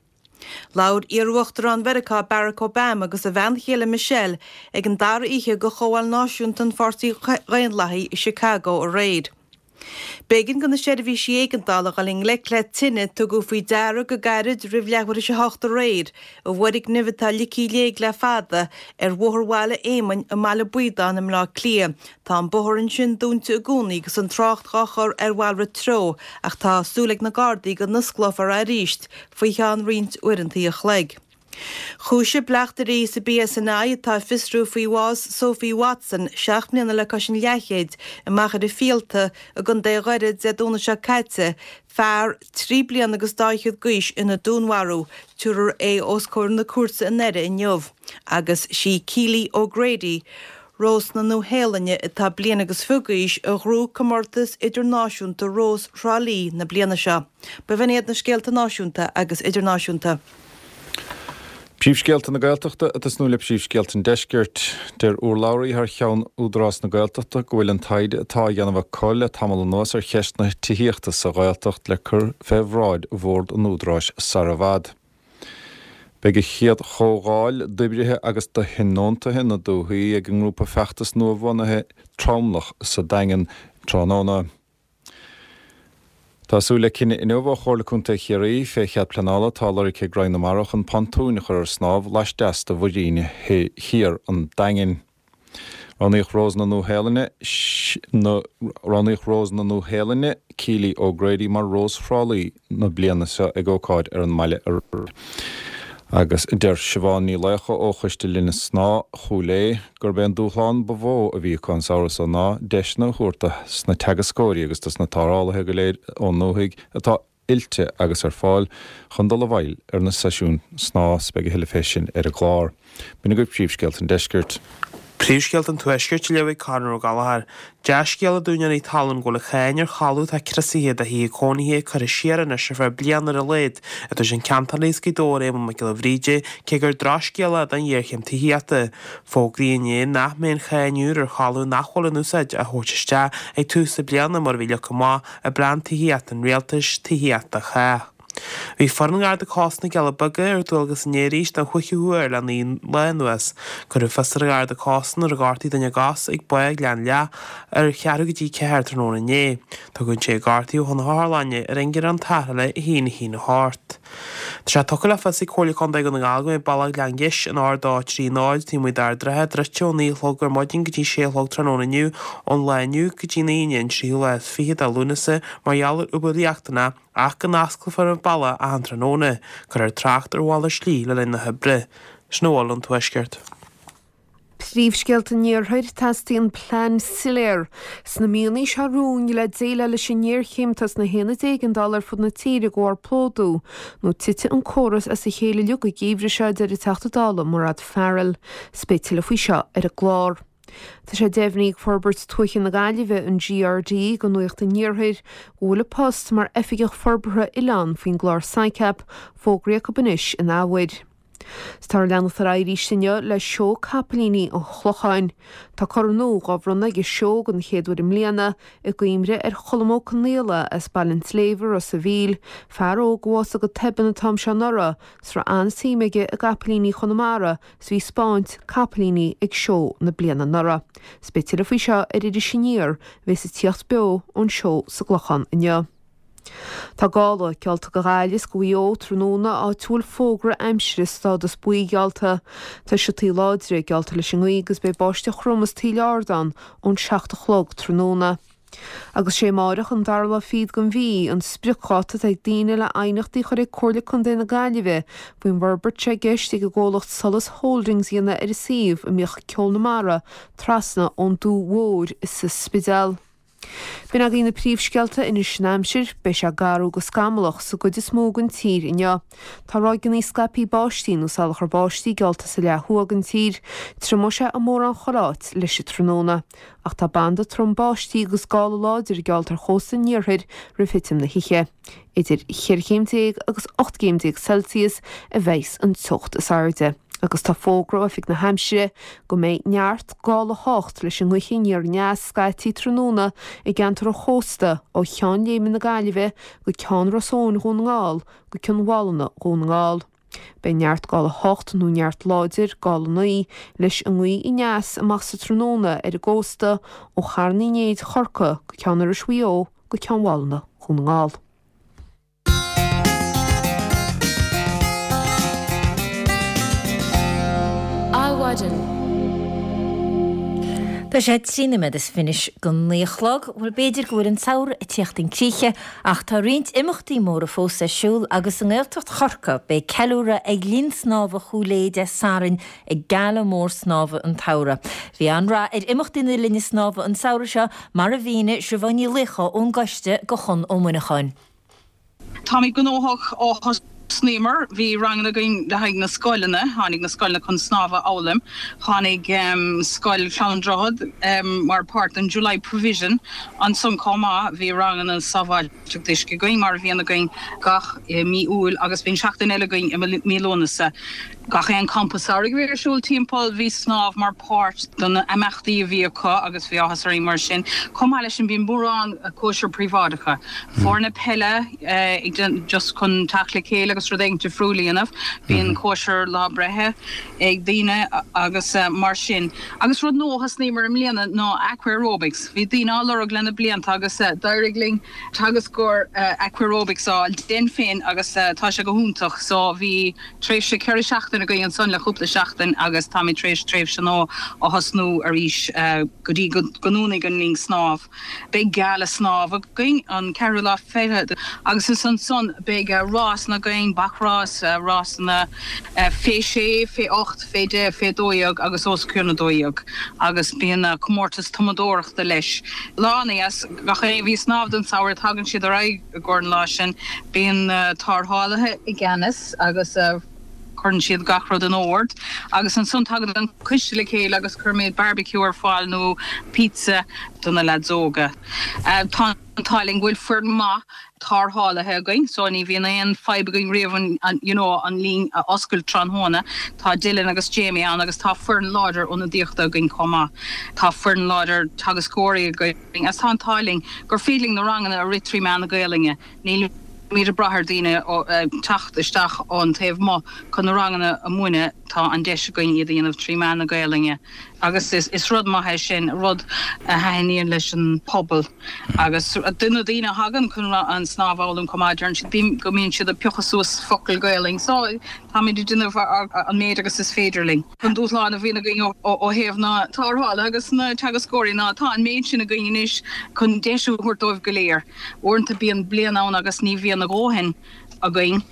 Labhair iar-Uachtarán Mheiriceá Barack Obama agus a bhean chéile Michelle ag an dara oíche de Chomhdháil Náisiúnta an Pháirtí Dhaonlathaigh i Chicago aréir. B'éigean do na seirbhísí éigeandála dul i ngleic le tine a tugadh faoi deara go gairid roimh leathuair tar éis a hocht aréir i bhfoirgneamh atá ligthe i léig le fada ar Bhóthar Bhaile Éamainn i mBaile Baodáin i mBleá Cliath. Tá an bóthar ansin dúnta i gcónaí agus an trácht dhá chur ar mhalrait treo ach tá súil ag na Gardaí go n-osclófar é arís faoi cheann roinnt uaireanta a chloig. Chúisigh bleachtairí sa BSNI atá ag fiosrú faoi bhás Sophie Watson, seacht mbliana le cois an leathchéid, i Machaire Fíolta i gContae Dhoire Dé Domhnaigh seo caite, fear trí bliana agus dá fhichead d'aois ina dúnmharú. Tabharfar é os comhair na cúirte i nDoire inniu. Agus sí Keely O'Grady, Rós na Nua-Shéalainne atá bliain agus fiche d'aois a ghnóthaigh Comórtas Idirnáisiúnta Rós Thrá Lí na bliana seo. B'in iad na scéalta náisiúnta agus idirnáisiúnta. Príomhscéalta na Gaeltachta ag tosnú le príomhscéalta an Deiscirt. Deir urlabhraí thar cheann Údarás na Gaeltachta go bhfuil an taighde atá á dhéanamh acu le tamall anuas ar cheist na tithíochta sa Ghaeltacht le cur fé bhráid Bhord an Údaráis sar i bhfad. Beidh an chéad chomhdháil d'oibrithe agus do thionóntaithe na dúthaí ag an ngrúpa feachtais nua-bhunaithe Tromlach sa Daingean tráthnóna. Tá súil le cinneadh inniu ó Chomhairle Contae Chiarraí fé chead pleanála atá lorgtha ag Roinn na Mara chun pontúin a chur ar snámh laisteas de Mhuirín Thiar an Daingin. Roghnaíodh Rós na Nua-Shéalainne Roghnaíodh Rós na Nua-Shéalainne, Keely O'Grady mar Rós Thrá Lí na bliana seo ag ócáid ar an mbaile aréir. Agus deir Siobhán Ní Laocha ó Choiste Linne Snámha Chúil Aodha gurb é an dúshlán ba mhó a bhí acu an samhradh seo ná deiseanna a thabhairt dos na teagascóirí agus dos na tarrthálaithe go léir ón ndúthaigh atá oilte agus ar fáil chun dul i bhfeighil ar na seisiúin snámha 's beidh a thuilleadh fé sin ar an gclár. B'in agaibh príomhscéalta an deiscirt. Príomhscéalta an Tuaiscirt á léamh ag Conor Ó Gallchóir. Dea-scéala d'úinéirí talún go bhfuil an cháin ar thalamh atá criosaithe do thithe cónaithe curtha siar anois ar feadh bliana ar a laghad, a dúirt an ceantálaí as Gaoth Dobhair Éamonn Mac Giolla Bhríde, cé gur drochscéala é don ghéarchéim tithíochta. Fógraíodh inné nach mbeidh an cháin úr ar thalamh nach bhfuil in úsáid á thabhairt isteach ag tús na bliana mar a bhí leagtha amach i bPlean Tithíochta an Rialtais, Tithíocht do Chách. Bhí foireann Gharda Cósta na gCealla Beaga ar dualgas inné arís don chúigiú huair le naoi lá anuas. Cuireadh fios ar an Gharda Cósta nuair a ghortaigh duine a gcos ag Bá Ghleann Leath ar cheathrú go dtí ceathair tráthnóna inné. Tugadh an té a gortaíodh chun na hotharlainne ar ingearán tarrthála a haon a haon a hocht. Tá sé tugtha le fios ag Comhairle Contae Dhún na nGall go mbeidh bealach Ghleann Gheis an R dó trí náid taobh amuigh d'Ard an Rátha druidte ó naoi a chlog ar maidin go dtí sé a chlog tráthnóna inniu ón lá inniu go dtí an Aoine an tríú lá is fiche de Lúnasa mar gheall ar obair riachtanach ach go n-osclófar an bealach achan tráthnóna. Cuirfear trácht ar mhalairt slí le linn na hoibre. Sin a bhfuil ón Tuaisceart. Príomhscéalta an Iarthair, Teastaíonn plean soiléir sna míonna seo romhainn le déileáil leis an ngéarchéim atá sna haonaid éigeandála ar fud na tíre de bharr plódú nó titfidh an córas as a chéile uilig an geimhreadh seo, a deir an Teachta Dála Mairéad Farrell. 'S beidh tuilleadh faoi seo ar an gclár. Tá sé deimhnithe ag Forbairt Tuaithe na Gaillimhe, an GRD, do Nuacht an Iarthair go bhfuil an post mar Oifigeach Forbartha Oileán faoin gclár SICAP fógraithe acu anois in athuair. 'S táthar ag leanacht ar aghaidh arís inniu le Seó Capaillíní an Chlocháin. Tá corn nua dhá bhronnadh ag an seó den chéad uair i mbliana i gcuimhne ar Cholm Ó Conaola as Baile an tSléibhe, Ros a' Mhíl, fear óg a bhásaigh go tobann an t-am seo anuraidh 's raibh an-suim aige i gcapaillíní Chonamara 's bhí ag 'spáint capaillíní ag seó na bliana anuraidh. 'S beidh tuilleadh faoi seo ar Iris Aniar a bheas ag tíocht beo ón seó sa gClochán inniu. Tá gála geallta do Ghaillimh is do Mhaigh Eo tráthnóna áit a bhfuil fógra aimsire stádas buí geallta. Tá siotaí láidre geallta leis an ngaoth agus beidh báisteach throm is taoille ard ann ón seacht a chlog tráthnóna. Agus sé amáireach an dara lá fichead den mhí an spriocdháta atá ag daoine le aighneachtaí a chur ag Comhairle Contae na Gaillimhe faoin bhforbairt atá i gceist ag an gcomhlacht Solas Holdings a dhéanamh ar an suíomh a mbíodh Ceol na Mara trasna ón Dumha Mhór sa Spidéal. B'in agaibh na príomhscéalta anois an aimsir, beidh sé garbh go scamallach sa gcuid is mó den tír inniu. Tá ráigeanna scaipthe báistí nó salachar báistí geallta sa leath thuaidh den tír. Triomóidh sé i mórán chuile áit leis an tráthnóna. Ach tá banda trom báistí agus gála láidir geallta ar chósta an iarthair roimh thitim na hoíche. Idir cheithre chéim déag agus ocht gcéim déag Celsius a bheas an teocht is airde. Agus tá fógra ó Oifig na hAimsire go mbeidh neart gála a hocht leis an ngaoth aniar aneas scaití tráthnóna i gceantar an chósta ó Cheann Léime na Gaillimhe go Ceann Ros Eoin Dhún na nGall go Cionn Mhálanna Dhún na nGall. Beidh neart gála a hocht nó neart láidir gála naoi leis an ngaoth aneas amach sa tráthnóna ar an gcósta ó Charn Uí Néid Chorcaí go Ceann Iorrais Mhaigh Eo go Ceann Mhálanna Dhún na nGall. Adhmhaidin. Tá sé trí nóiméad is fiche anois go naoi a chlog. Bhuel, b'fhéidir go bhfuil an samhradh ag tíocht chun críche, ach tá roinnt imeachtaí móra fós ar siúl agus i nGaeltacht Chorcaí beidh ceiliúradh ag Linn Snámha Chúil Aodha Dé Sathairn ag Gala Mór Snámha an tSamhraidh. Bhí an-rath ar imeachtaí na Linne Snámha an samhradh seo, mar a mhínigh Siobhán Ní Laochdha ón gcoiste do Chon Ó Muineacháin. Táimid gnóthach ó thosnaíomar. Bhí ranganna againn le haghaidh na scoileanna. Tháinig na scoileanna chun snámh a fhoghlaim. Tháinig Scoil Chlann an Droichead mar páirt den July Provision. Ansan chomh maith bhí ranganna sábháilteacht uisce againn mar a bhíonn againn gach mí Iúil agus bíonn seachtain eile againn i mí Lúnasa. Gach aon campa samhraidh a bhí ar siúl timpeall, bhí snámh mar páirt de na imeachtaí a bhí acu agus bhí áthas orainn mar sin. Chomh maith leis sin bíonn mórán cóisir príobháideacha, foirne peile ag just chun teacht le chéile agus rud éigin difriúil a dhéanamh, bíonn cóisir lá breithe ag daoine agus mar sin. Agus rud nua a thosnaíomar i mbliana ná aqua-aerobics. Bhí daoine á lorg le na blianta agus d'éirigh linn teagascóir aqua-aerobics a fháil dúinn féin agus tá sé go hiontach. So bhí. Tréimhse ceithre seachtaine againn ansan le cúpla seachtain agus táimid tar éis tréimhse nua a thosnú arís go dtí go ndúnfaidh an linn snámh. Beidh gala snámh againn an ceathrú lá fichead agus is ansan beidh rásanna againn, againn, bacrás, rásanna fé sé, fé ocht, fé deich, fé dó dhéag agus os cionn a dó dhéag agus bíonn comórtas tumadóireachta leis. Lá ana-dheas, gach éinne a bhí ag snámh don samhradh tagann siad ar aghaidh i gcomhair an lá sin. Bíonn na tarrthálaithe i gceannas agus cuireann siad gach rud in ord agus ansan tagann an coiste le chéile agus cuirimid barbecue ar fáil nó pizza do na leaids óga. Tá an t-ádh linn go bhfuil foireann maith tarrthálaithe againn so ní bhíonn aon fadhb againn riamh an you know an linn a oscailt tráthnóna. Tá Dylan agus Jamie ann agus tá foireann láidir ionadaíochta againn chomh maith. Tá foireann láidir teagascóirí againn agus tá an t-ádh linn gur féidir linn na ranganna a rith trí mheán na Gaelainne. Nílimid ag brath ar daoine teacht isteach ón taobh amuigh chun na ranganna a mhúineadh, tá an deis againn iad a dhéanamh trí mheán na Gaelainne agus is rud maith é sin, rud a thaitníonn leis an pobal agus do na daoine a thagann chun an snámh a fhoghlaim chomh maith, deireann siad go mbíonn siad ag piocadh suas focail Gaelainn so táimid ag déanamh an méid agus is féidir linn. An dúshlán a bhíonn againn ó thaobh na tarrthála agus na teagascóirí ná tá an méid sin againn anois chun deis a thabhairt dóibh go léir. Uaireanta bíonn bliain ann agus ní bhíonn a dhóthain againn.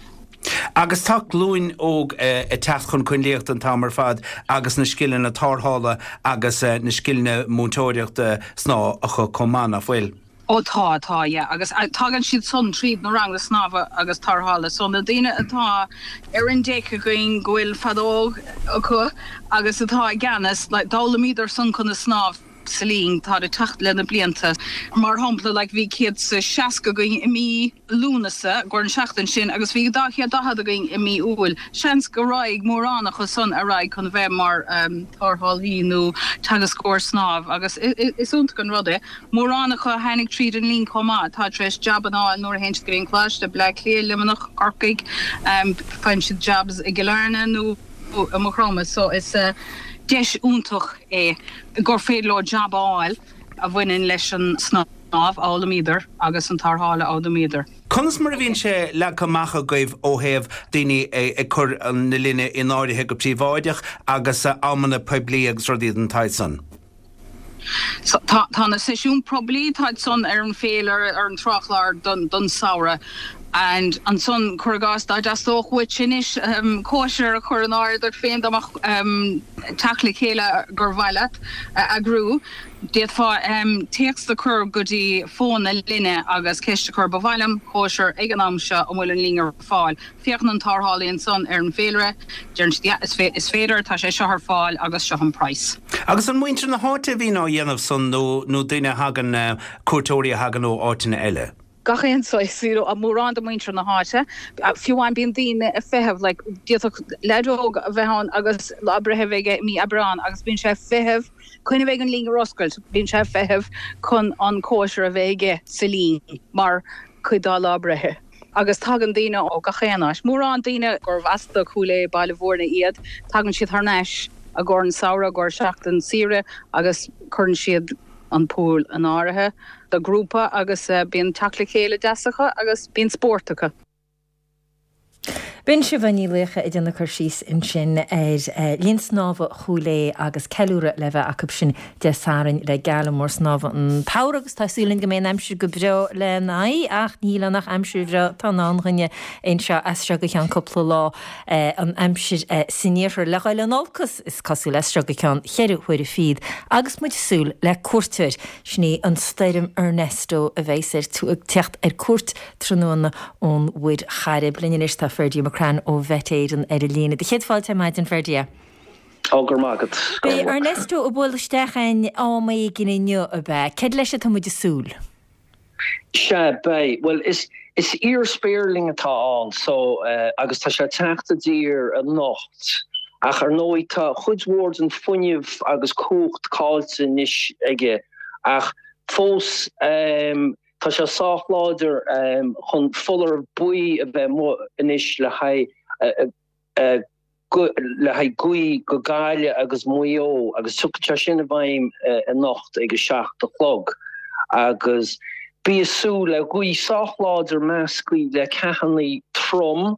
Agus tá glúin óg ag teacht chun coinlíochta an t-am ar fad agus na scileanna tarrthála agus na scileanna múinteoireachta snámha acu chomh maith, nach bhfuil? Ó tá, tá, yeah. Agus tagann siad san tríd na ranganna snámha agus tarrthála. So na daoine atá ar an deic againn go bhfuil feadóg acu agus atá i gceannas, like, d'fhoghlaimíodar san conas snámh sa linn, táid ag teacht le na blianta. Mar shampla, like, bhí céad 's a seasca againn i mí Lúnasa, i gcomhair an seachtain sin, agus bhí dhá chéad daichead againn i mí Iúil. Seans go raghaidh mórán acu san ar aghaidh chun bheith mar tarrthálaí nó teagascóir snámh agus is iontach an rud é. Mórán acu a tháinig tríd an linn chomh maith atá tar éis jabanna a fháil nuair a théann siad go dtí an coláiste, Bleá Cliath, Luimneach, Corcaigh, faigheann siad jobs i gCill Airne nó i Maigh Chromtha so is deis iontach é gur féidir leo jab a fháil a bhaineann leis an snámh a fhoghlaimíodar agus an tarrtháil a fhoghlaimíodar. Conas mar a bhíonn sé leagtha amach agaibh ó thaobh daoine ag cur na linne in áirithe go príobháideach agus amanna poiblí agus rudaí den tsaghas san? Tá tá na seisiúin poiblí, táid san ar an féilire, ar an tráthchlár don don samhradh and ansan cuir i gcás dá dteastódh uait anois cóisir a chur in áirithe duit féin dá mbeadh teacht le chéile gur mhaith leat a eagrú, d'fhéadfá téacs a chur go dtí fón na linne agus ceist a chur, ba mhaith liom cóisir ag an am seo, an bhfuil an linn ar fáil? Féachann an tarrthálaí ansan ar an bhféilire, deireann siad yeah, is féidir, tá sé seo ar fáil agus seo an praghas. Agus an muintir na háite a bhíonn á dhéanamh san nó nó daoine a thagann, cuairteoirí a thagann ó áiteanna eile? Gach aon saghas, you know, mórán de mhuintir na háite, fiú amháin bíonn daoine ag feitheamh, like, d'fhéadfadh leaid óg a bheith ann agus lá breithe a bheith aige i mí Aibreán agus bíonn sé ag feitheamh chun a bheith an linn ar oscailt, bíonn sé ag feitheamh chun an cóisir a bheith aige sa linn mar chuid dá lá breithe. Agus tagann daoine ó gach aon áit, mórán daoine gurbh as do Chúil Aodha, Baile Bhúirne iad, tagann siad thar n-ais i gcomhair an samhradh, i gcomhair seachtain saoire agus cuireann siad an pool in áirithe do grúpa agus bíonn teacht le chéile deas acu agus bíonn spórt acu. B'in Siobhán Ní Laochdha ag déanamh cur síos ansin ar Linn Snámha Chúil Aodha agus ceiliúradh le bheith acu sin Dé Sathairn le Gala Mór Snámha an tSamhraidh agus tá súil againn go mbeidh an aimsir go breá lena aghaidh ach ní shíleann ach aimsir bhreá atá i ndán dhúinne anseo as seo go ceann cúpla lá an aimsir san iarthar le dhul in olcas is cosúil as seo go ceann cheithre huaire fichead agus muid ag súil le cuairteoir sin í an stoirm Ernesto a bheas ag teacht ar cuairt tráthnóna ón Mhuir Chairib. Linn anois tá Ferdia McCrann ó Mhet Éireann ar an líne. Do chéad fáilte ar maidin, Ferdia. Ó, go raibh maith agat. Beidh Ernesto ag bualadh isteach againn am éigin inniu, ab ea? Céard leis atá muid ag súil? Sea, beidh. Bhuel, is is iar-spéirling atá ann so agus tá sé ag teacht i dtír anocht. Ach ar ndóigh tá cuid mhór den fuinneamh agus cumhacht caillte anois aige ach fós Tá sé sách láidir chun foláireamh buí a bheith amuigh anois le haghaidh le haghaidh gaoth go Gaillimh agus Maigh Eo agus tiocfaidh sé sin i bhfeidhm anocht ag a seacht a chlog agus bí ag súil le gaoth sách láidir measctha le ceathanna trom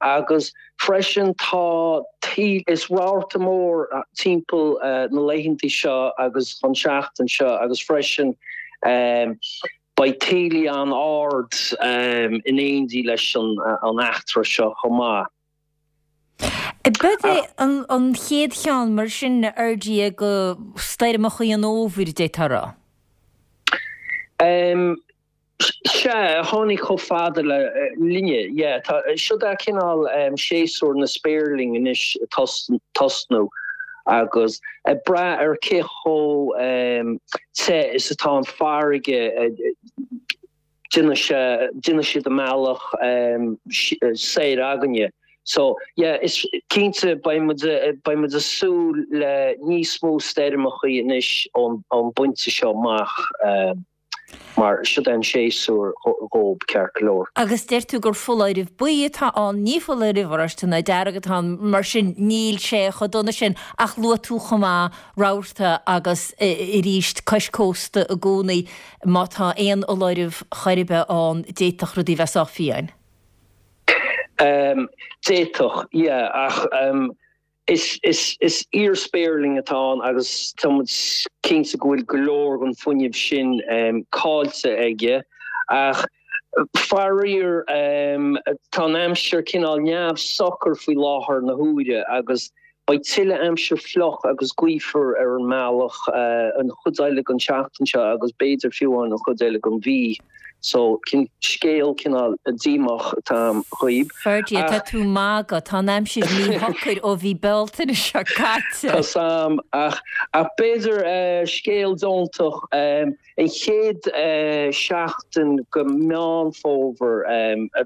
agus freisin tá taoille is rabharta mór timpeall na laethanta seo agus an seachtain seo agus freisin Beidh taoillí an-ard in éindí leis an eachtra seo chomh maith. B'é an chéad cheann mar sin a Fherdie de stoirmeacha an fhómhair, d'fhéadfá a rá? Sea, a tháinig chomh fada le linne, yeah. Tá, siod é cineál séasúr na spéirling anois ag tosnú agus ag brath ar cé chomh te is atá an farraige, déanfaidh sé, déanfaidh siad a mbealach soir againne. So, yeah, is cinnte beidh muid, beidh muid ag súil le níos mó stoirmeachaí anois ón bpointe seo amach. Mar siod é an séasúr dhób, ceart go leor. Agus deir tú gur foláireamh buí atá ann, ní foláireamh oráiste ná dearg atá ann, mar sin níl sé chomh dona sin. Ach luaigh tú chomh maith rabharta agus arís cois cósta i gcónaí, má tá aon fholáireamh chor ar bith ann, d'fhéadfadh rudaí bheith sách fiáin. D'fhéadfadh, yeah, ach Is iar-spéirling atá ann agus tá muid cinnte go bhfuil go leor den fuinneamh sin caillte aige. Ach faraor, tá an aimsir cineál neamhshocair faoi láthair na huaire agus beidh tuilleadh aimsir fliuch agus gaofar ar an mbealach an chuid eile den tseachtain seo agus b'fhéidir fiú amháin an chuid eile den mhí. So, scéal cineál díomách atá a'm dhaoib. Ferdie, tá tú ag magadh, tá an aimsir míshocair ó mhí Bealtaine seo caite. Tá's a'm, ach ach b'fhéidir scéal deontach, an chéad seachtain go Meán Fómhair,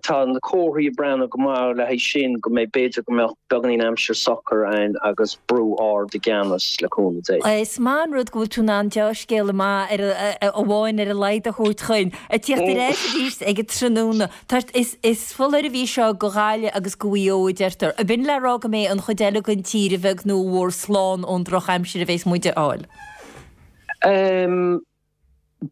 tá na comharthaí ag breathnú go maith le haghaidh sin, go mbeidh, b'fhéidir go mbeadh beagáinín aimsir socair ann agus brú ard i gceannas, le cúnamh Dé. Is maith an rud go bhfuil tú in ann dea-scéal maith amháin ar a laghad a thabhairt chugainn. Ag tíocht ar ais arís ag an tráthnóna. Tá, is, is foláireamh í seo go Ghaillimh agus go Mhaigh Eo, a deirtear. Ab in le rá go mbeidh an chuid eile den tír, a bheag nó a mhór, slán ón drochaimsir a bheas muid a fháil? Em,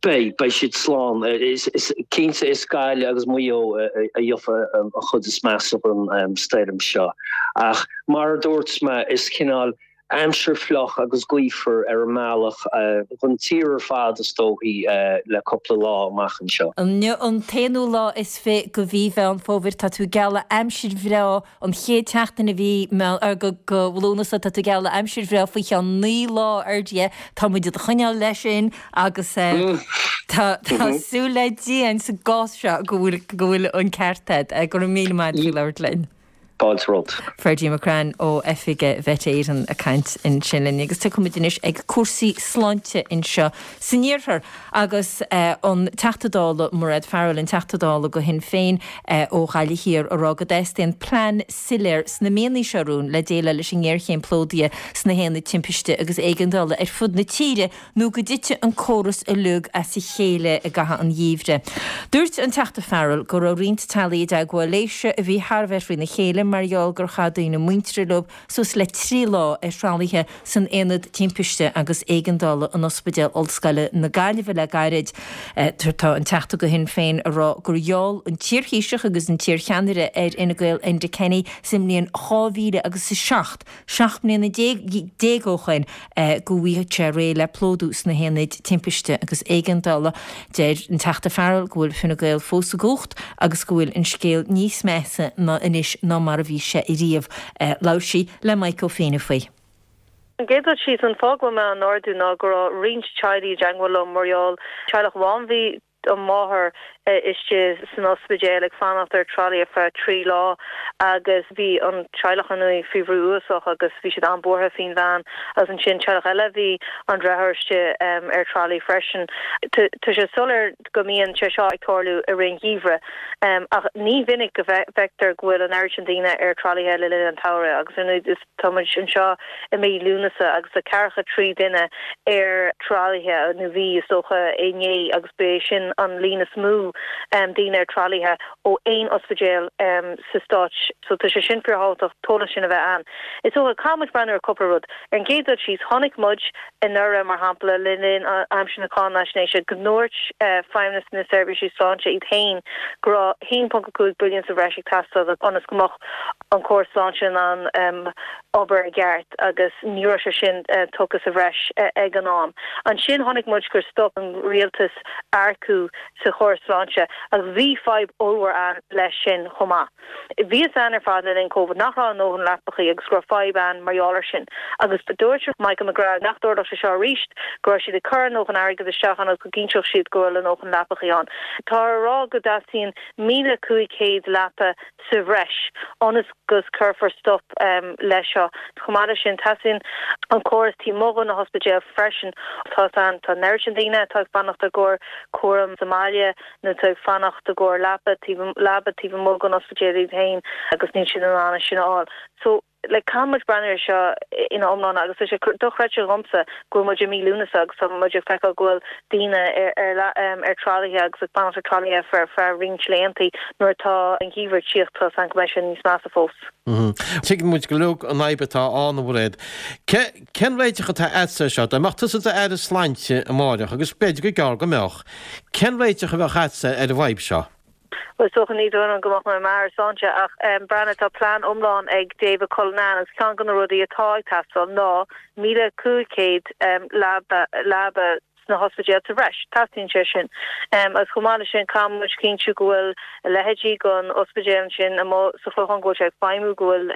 beidh, beidh siad slán. Is, is cinnte is Gaillimh agus Maigh Eo a, a gheofa an chuid is measa den stoirm seo. Ach mar a dúirt mé, is cineál aimsir fliuch agus gaofar ar an mbealach don tír ar fad is dóichí le cúpla lá amach anseo. Inniu an t-aonú lá is fiche de mhí Mheán Fómhair. Tá tú ag gealladh aimsir bhreá an chéad tseachtain de mhí de Lúnasa. Tá tú ag gealladh aimsir bhreá faoi cheann naoi lá ar Dia. Tá muid do do choinneáil leis sin agus tá súil le Dia sa gcás seo go bhfuil an ceart agat. Go raibh míle maith agat faoi labhairt linn. Fáilte romhat. Ferdie McCrann ó oifig Mhet Éireann ag caint ansin linn agus tiocfaidh muid anois ag cúrsaí sláinte anseo san iarthar agus an Teachta Dála Mairéad Farrell, an Teachta Dála do Shinn Féin ó Ghaillimh Thiar ag rá go dteastaíonn plean soiléir sna míonna seo romhainn le déileáil leis an ngéarchéim plódaithe sna haonaid timpiste agus éigeandála ar fud na tíre nó go dtitfidh an córas uilig as a chéile i gcaitheamh an gheimhridh. Dúirt an Teachta Farrell go raibh roinnt teaghlaigh i dteagmháil léise a bhí thar a bheith faoina chéile mar gheall gur chaith daoine muinteartha leo suas le trí lá ar thralaithe san Aonad Timpiste agus Éigeandála in Ospidéal Ollscoile na Gaillimhe le gairid. Tá an Teachta do Shinn Féin ag rá gur gheall an t-iarThaoiseach agus an t-iarcheannaire ar Fhine Gael Enda Kenny sa mbliain dhá mhíle agus a seacht, seacht mbliana déag ó shoin, go bhfaighfeadh sé réidh le plódú sna haonaid timpiste agus éigeandála. Deir an Teachta Farrell go bhfuil Fine Gael fós i gcumhacht agus go bhfuil an scéal níos measa ná anois ná mar a bhí sé ariamh. Labhair sí le Mike Ó Fianna faoi. An gcéad rud síos, an fáth go bhfuil mé á n-ardú ná go raibh roinnt teaghlaigh i dteagmháil liom mar gheall teaghlach amháin bhí an mháthair istigh san ospidéal ag fanacht ar tralaí ar feadh trí lá agus bhí an teaghlach ar ndóigh faoi bhrú uafásach agus bhí siad an-bhuartha faoin bhean agus ansin teaghlach eile bhí an deartháir istigh ar tralaí freisin. Tá sé soiléir go mbíonn sé seo ag tarlú i rith an gheimhridh ach ní mhinic go bhfeictear go bhfuil an oiread sin daoine ar tralaithe le linn an tsamhraidh agus ar ndóigh is Tá muid anseo i mí Lúnasa agus tá ceathracha trí duine ar tralaithe, nó bhí, is dócha, inné agus ba é sin an líon is mó daoine ar tralaithe ó aon ospidéal sa Stát. So tá sé sin fíorthábhachtach an t-eolas sin a bheith ann. Is dócha, caithfidh muid breathnú ar cúpla rud. Ar an gcéad dul síos, chonaic muid anuraidh, mar shampla, le linn aimsir na cáinaisnéise, go ndúirt Feidhmeannas na Seirbhísí Sláinte iad féin go raibh a haon ponc a cúig billiún sa bhreis ag teastáil ionas go mbeadh an córas sláinte in ann obair i gceart agus ní raibh sé sin tugtha sa bhreis ag an am. Ansin chonaic muid gur stop an rialtas earcú sa chóras sláinte agus bhí fadhb ollmhór ann leis sin chomh maith. Bhí a fhios againn ar fad le linn Covid nach raibh a ndóthain leapachaí agus go raibh fadhb ann mar gheall air sin agus dúirt Michael McGrath nach dtarlódh sé seo arís, go raibh siad ag cur a ndóthain airgid isteach ann agus go gcinnteodh siad go raibh a ndóthain leapachaí ann. Tá á rá go dteastaíonn míle cúig chéad leapa sa bhreis ionas go gcuirfear stop leis seo. Chomh maith leis sin, teastaíonn an córas taobh amuigh de na hospidéil freisin. Tá an tá an oiread sin daoine atá ag fanacht i gcomhair cúram sa mbaile nó atá ag fanacht i gcomhair leapa taobh leaba taobh amuigh den ospidéal iad féin agus níl siad in ann é sin a fháil. So, like, caithfidh muid breathnú air seo ina iomláine agus tá sé dochreidte dhomsa go bhfuil muid i mí Lúnasa agus tá muid ag feiceáil go bhfuil daoine ar ar ar tralaithe agus ag fanacht ar tralaithe ar feadh roinnt laethanta nuair atá an geimhreadh ag tíocht tá a fhios agam go mbeidh sé níos measa fós. Tuigeann muid go uilig an fhadhb atá ann, a Mhairéad. Cén réiteach atá agatsa air seo? Dá mbeadh tusa i d'Aire Sláinte amáireach, agus b'fhéidir gur gearr go mbeadh, cén réiteach a bheadh agatsa ar an bhfadhb seo? Bhuel, is dócha ní dóigh liom go mbeadh mé i m'Aire Sláinte ach breathnaigh, tá plean iomlán ag David Cullinane agus ceann de na rudaí atá ag teastáil ná míle cúig chéad leaba leaba sna hospidéil sa bhreis. Teastaíonn sé sin. Agus chomh maith leis sin, caithfidh muid cinntiú go bhfuil a leithéidí den ospidéal ansin amuigh sa Chlochán, go bhfuil sé ag feidhmiú, go bhfuil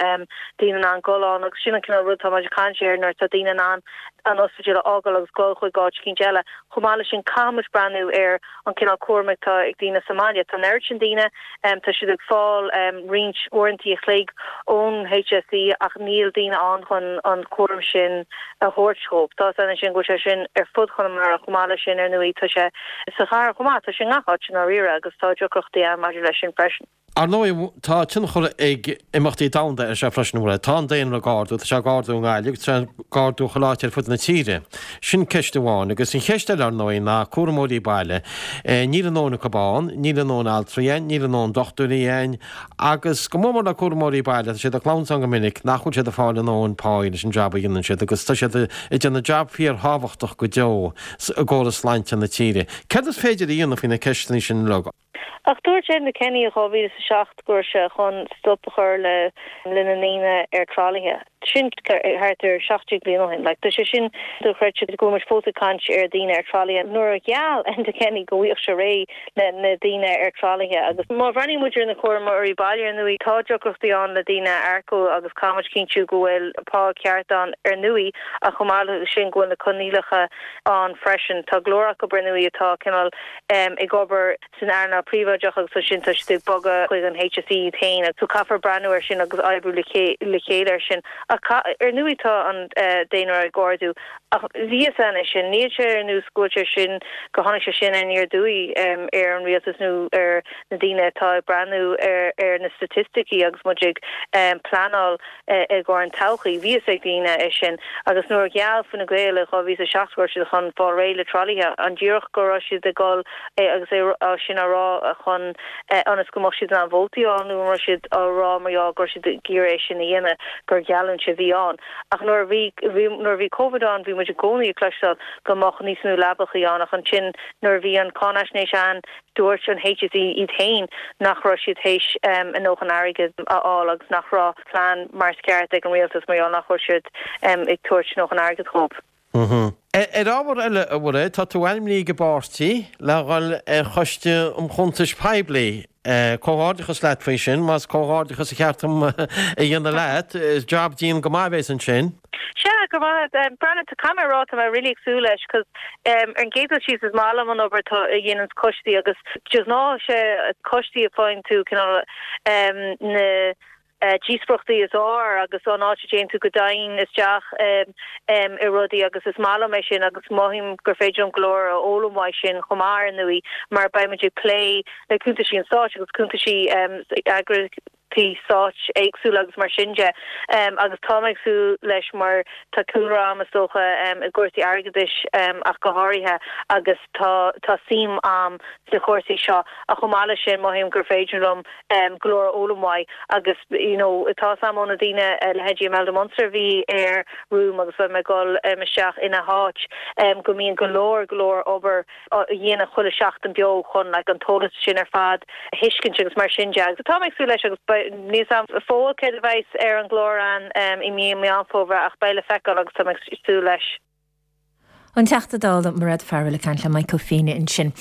daoine in ann dul ann agus sin an cineál rud atá muid ag caint air nuair atá daoine in ann an ospidéal a fhágáil agus dul chuig áit eicínt eile. Chomh maith leis sin, caithfidh muid breathnú ar an cineál cúraim atá ag daoine sa mbaile. Tá an oiread sin daoine, tá siad ag fáil roinnt uaireantaí a chloig ón HSE ach níl daoine ann chun an cúram sin a thabhairt dhóibh. Tá a fhios againn ansin go bhfuil sé sin ar fud Chonamara chomh maith leis sin ar ndóigh tá sé sa chathair chomh maith, tá sé i ngach áit i ndáiríre agus tá deacrachtaí ann maidir leis sin freisin. Ar ndóigh, tá tionchar ag imeachtaí domhanda air seo freisin, a Mhairéad. Tá an daonra ag ardú, tá sé ag ardú i nGaillimh agus tá sé ag ardú chuile áit ar fud na tíre. Sin ceist amháin. Agus an cheist eile, ar ndóigh, ná cúramóirí baile. Níl a ndóthain acu ann, níl a ndóthain altraí ann, níl a ndóthain dochtúirí ann agus go mór mór le cúramóirí baile, tá siad ag clamhsán go minic nach bhfuil siad ag fáil a ndóthain páí leis an jab a dhéanann siad agus tá siad ag déanamh jab fíorthábhachtach go deo i gcóras sláinte na tíre. Céard is féidir a dhéanamh faoi na ceisteanna sin uilig? Ach dúirt Enda Kenny i dhá mhíle is a seacht go raibh sé chun stop a chur le le na ndaoine ar tralaithe. Sin thart ar seacht déag bliain ó shin. Like, tá sé sin dochreidte go bhfuil muid fós ag caint ar daoine ar tralaithe nuair a gheall Enda Kenny go bhfaighfeadh sé réidh le na daoine ar tralaithe. Agus má bhreathnaíonn muid ar na cúramóirí baile ar ndóigh tá deacrachtaí ann le daoine a earcú agus caithfidh muid cinntiú go bhfuil pá ceart ann ar ndóigh ach chomh maith le sin go bhfuil na coinníollacha ann freisin. Tá go leor acu ar ndóigh atá cineál ag obair san earnáil phríobháideach agus ansin tá siad ag bogadh chuig an HSE iad féin so caithfear breathnú air sin agus oibriú le chéile air sin. Ach ar ndóigh tá an daonra ag ardú ach bhí a fhios againn é sin, níl sé ar nós go bhfuil sé sin, go tháinig sé sin aniar aduaidh ar an rialtas nó ar na daoine atá ag breathnú ar na staitisticí agus muid ag pleanáil i gcomhair an todhchaí. Bhí a fhios ag daoine é sin agus nuair a gheall Fine Gael i dhá mhíle is a seacht go raibh siad chun fáil réidh le tralaithe, an díreach go raibh siad ag dul agus é sin á rá chun ionas go mbeadh siad in ann vótaí a fháil nó an raibh siad á rá mar gheall go raibh siad ag iarraidh é sin a dhéanamh gur gheallúint a bhí ann. Ach nuair a bhí nuair a bhí Covid ann bhí muid i gcónaí ag cloisteáil go mbeadh níos mó leapachaí ann ach ansin nuair a bhí an cáinaisnéis ann dúirt an HSE iad féin nach raibh siad théis a ndóthain airgid a fháil agus nach raibh plean mar is ceart ag an rialtas mar gheall nach raibh siad ag tabhairt a ndóthain airgid dhóibh. Ar ábhar eile, a Mhairéad, tá tú ainmnithe ag an bpáirtí le dhul ar Choiste um Chuntais Poiblí. Comhghairdeachas leat faoi sin, más comhghairdeachas a cheart dom a dhéanamh leat. Is jab dian go maith a bheas ansin. Sea, go raibh maith agat. Breathnaigh, tá caithfidh mé a rá, tá mé really ag súil leis 'cause ar an gcéad dul síos is maith liom an obair atá a dhéananns coistí agus de ghnáth sé coistí a faigheann tú cineál na díospóireachtaí is fearr agus an áit a dtéann tú go domhain isteach i rudaí agus is maith liom é sin agus mothaím gur féidir liom go leor a fhoghlaim uaidh sin chomh maith ar ndóigh mar beidh muid ag plé le cuntaisí an stáit agus cuntaisí eagraíochtaí comhlachtaí stáit éagsúla agus mar sin de agus tá mé ag súil leis mar tá cúlra agam is dócha i gcúrsaí airgeadais ach go háirithe agus tá tá suim agam sna cúrsaí seo ach chomh maith leis sin mothaím gur féidir liom go leor a fhoghlaim uaidh agus you know tá sam ó na daoine leithéidí Imelda Munster a bhí ar Room agus beidh mé ag dul isteach ina háit go mbíonn go leor go leor obair a dhéanamh chuile seachtain beo chun like an t-eolas sin ar fad a thuiscint agus mar sin de agus tá mé ag súil leis agus níl a fhios agam fós céard a bheas ar an gclár an i mí Meán Fómhair ach beidh le feiceáil agus tá mé ag súil leis. An Teachta Dála Mairéad Farrell ag caint le Michael Féine ansin.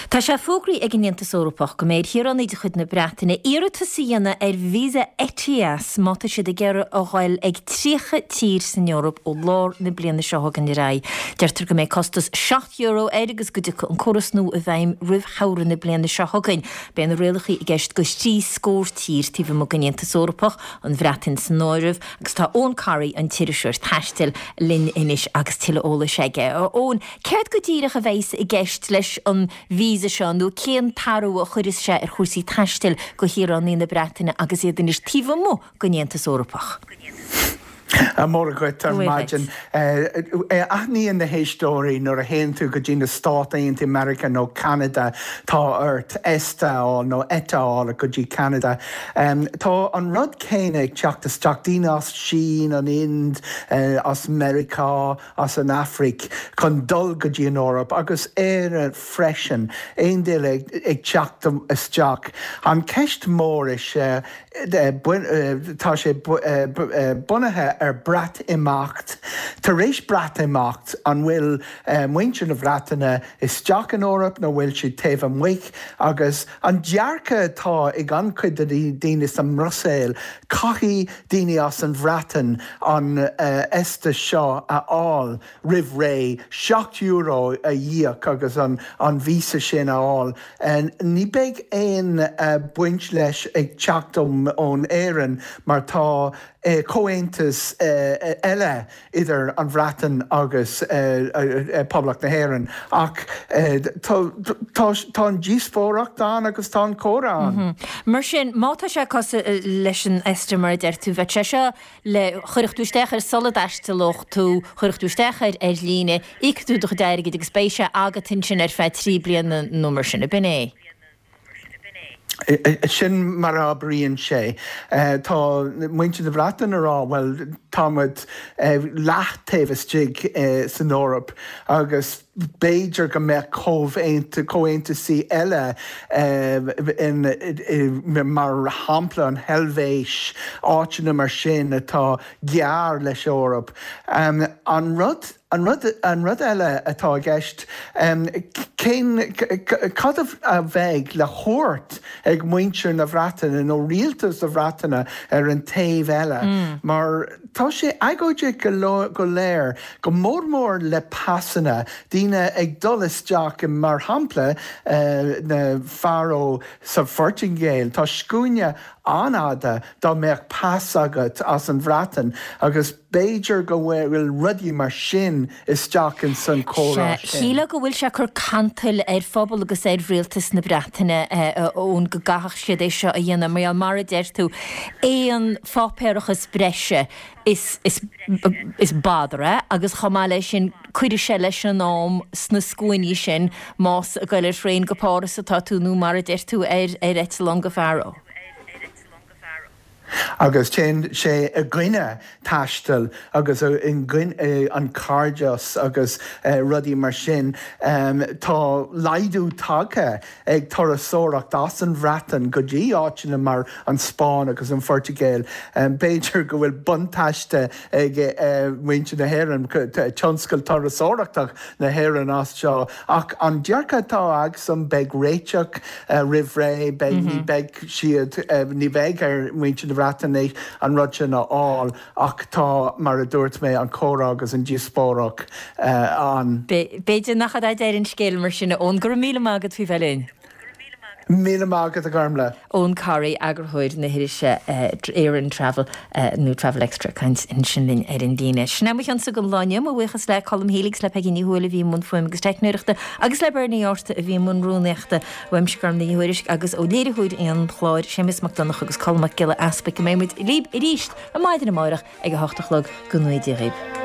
Tá sé fógraithe ag an Aontas Eorpach go mbeidh ar shaoránaigh de chuid na Breataine iarratas a dhéanamh ar víosa ETIAS má tá siad ag iarraidh a ghoil ag tríocha tír san Eoraip ó lár na bliana seo chugainn ar aghaidh. Deirtear go mbeidh costas seacht euro air agus go dtiocfaidh an córas nua i bhfeidhm roimh shamhradh na bliana seo chugainn. Beidh na rialacha i gceist do thrí scór tír taobh amuigh den Aontas Eorpach, an Bhreatain san áireamh, agus tá Eoin Corry, an t-iriseoir taistil, linn anois agus tuilleadh eolais aige. Eoin, céard go díreach a bheas i gceist leis an víosa seo nó cén t-athrú a chuirfeas sé ar chúrsaí taistil do shaoránaigh na Breataine agus iad anois taobh amuigh den Aontas Eorpach? Móra dhuit ar maidin. Aithníonn na héisteoirí nuair a théann tú go dtí na Stáit Aontaithe Meiriceá nó Ceanada tá ort ESTA a fháil nó ETA a fháil go dtí Ceanada. Tá an rud céanna ag teacht isteach, daoine as Sín, an Ind, as Meiriceá, as an Afraic chun dul go dtí an Eoraip agus Éire freisin, aon duine ag teacht isteach. An ceist mór is ea tá sé bunaithe ar Breatimeacht. Tar éis Breatimeacht an bhfuil muintir na Breataine isteach in Eoraip nó bhfuil siad taobh amuigh agus an dearcadh atá ag an-chuid de daoine sa mBruiséil, caithfidh daoine as an Bhreatain an ESTA seo a fháil roimh ré, seacht euro a íoc agus an an víosa sin a fháil. Ní beidh aon baint leis ag teacht ón Éirinn mar tá comhaontas eile idir an Bhreatain agus Poblacht na hÉireann ach tá an díospóireacht ann agus tá an comhrá ann. Mar sin, má tá sé cosúil leis an ESTA mar a deir tú, bheadh sé seo le chuirfeadh tú isteach air sula dtaistealódh tú, chuirfeadh tú isteach air ar líne, íocfaidh tú do chuid airgid agus beidh sé agat ansin ar feadh trí bliana nó mar sin, ab in é? Sin mar a oibríonn sé. Tá muintir na Breataine ag rá, bhuel, tá muid leath taobh istigh san Eoraip agus b'fhéidir go mbeadh comhaontaisí eile mar shampla an Heilvéis, áiteanna mar sin atá gearr leis Eoraip. An rud An rud an rud eile atá i gceist, cén cad a bheidh le thabhairt ag muintir na Breataine nó rialtas na Breataine ar an taobh eile mar tá sé agóideach go léir, go mór mór le pasanna, daoine ag dul isteach mar shampla na Faró sa Phortaingéil, tá scuaine an-fhada dá mbeadh pas agat as an Bhreatain agus b'fhéidir go bhfuil rudaí mar sin isteach in san comhrá sin. Shílfeá go bhfuil sé ag cur cantail ar phobal agus ar rialtas na Breataine Eoin go gcaithfeadh siad é seo a dhéanamh mar gheall mar a deir tú aon pháipéarachas breise is is is bother é agus chomh maith leis sin cuirfidh sé leis an am sna scuainí sin más ag goil ar thraein go Páras atá tú nó mar a deir tú ar ar eitleán go Faro. Agus téann sé i gcoinne taistil agus i gcoinne an cairdeas agus rudaí mar sin. Tá laghdú tagtha ag turasóireacht as an Bhreatain go dtí áiteanna mar an Spáinn agus an Phortaingéil. B'fhéidir go bhfuil buntáiste ag muintir na hÉireann, tionscal turasóireachta na hÉireann as seo. Ach an dearcadh atá agamsa, beidh réiteach roimh ré, beidh, ní beidh siad, ní bheidh ar mhuintir na Breataine an rud sin a fháil ach tá, mar a dúirt mé, an comhrá agus an díospóireacht ann. B'fhéidir nach é deireadh an scéil mar sin, a Eoin. Go raibh míle maith agat faoi bheith linn. Míle maith agat a Ghormfhlaith. Eoghan Corry, eagarthóir na hirise Éireann Travel nó Travel Extra ag caint ansin linn ar an líne. Sin é mo chionsa don lá inniu, mo bhuíochas le Colm Healy agus le Peigí Ní Thuathail a bhí i mbun fuaime agus teicneoireachta agus le Bernie Arthur a bhí i mbun rúnaíochta. Uaimse Gormfhlaith Ní Thuairisg agus ó léiritheoir an chláir Séamus Mac Donncha agus Colm Mac Giolla Easpaig go mbeidh muid libh arís ar maidin amárach ag a hocht a chlog go ngnóthaí Dia dhaoibh.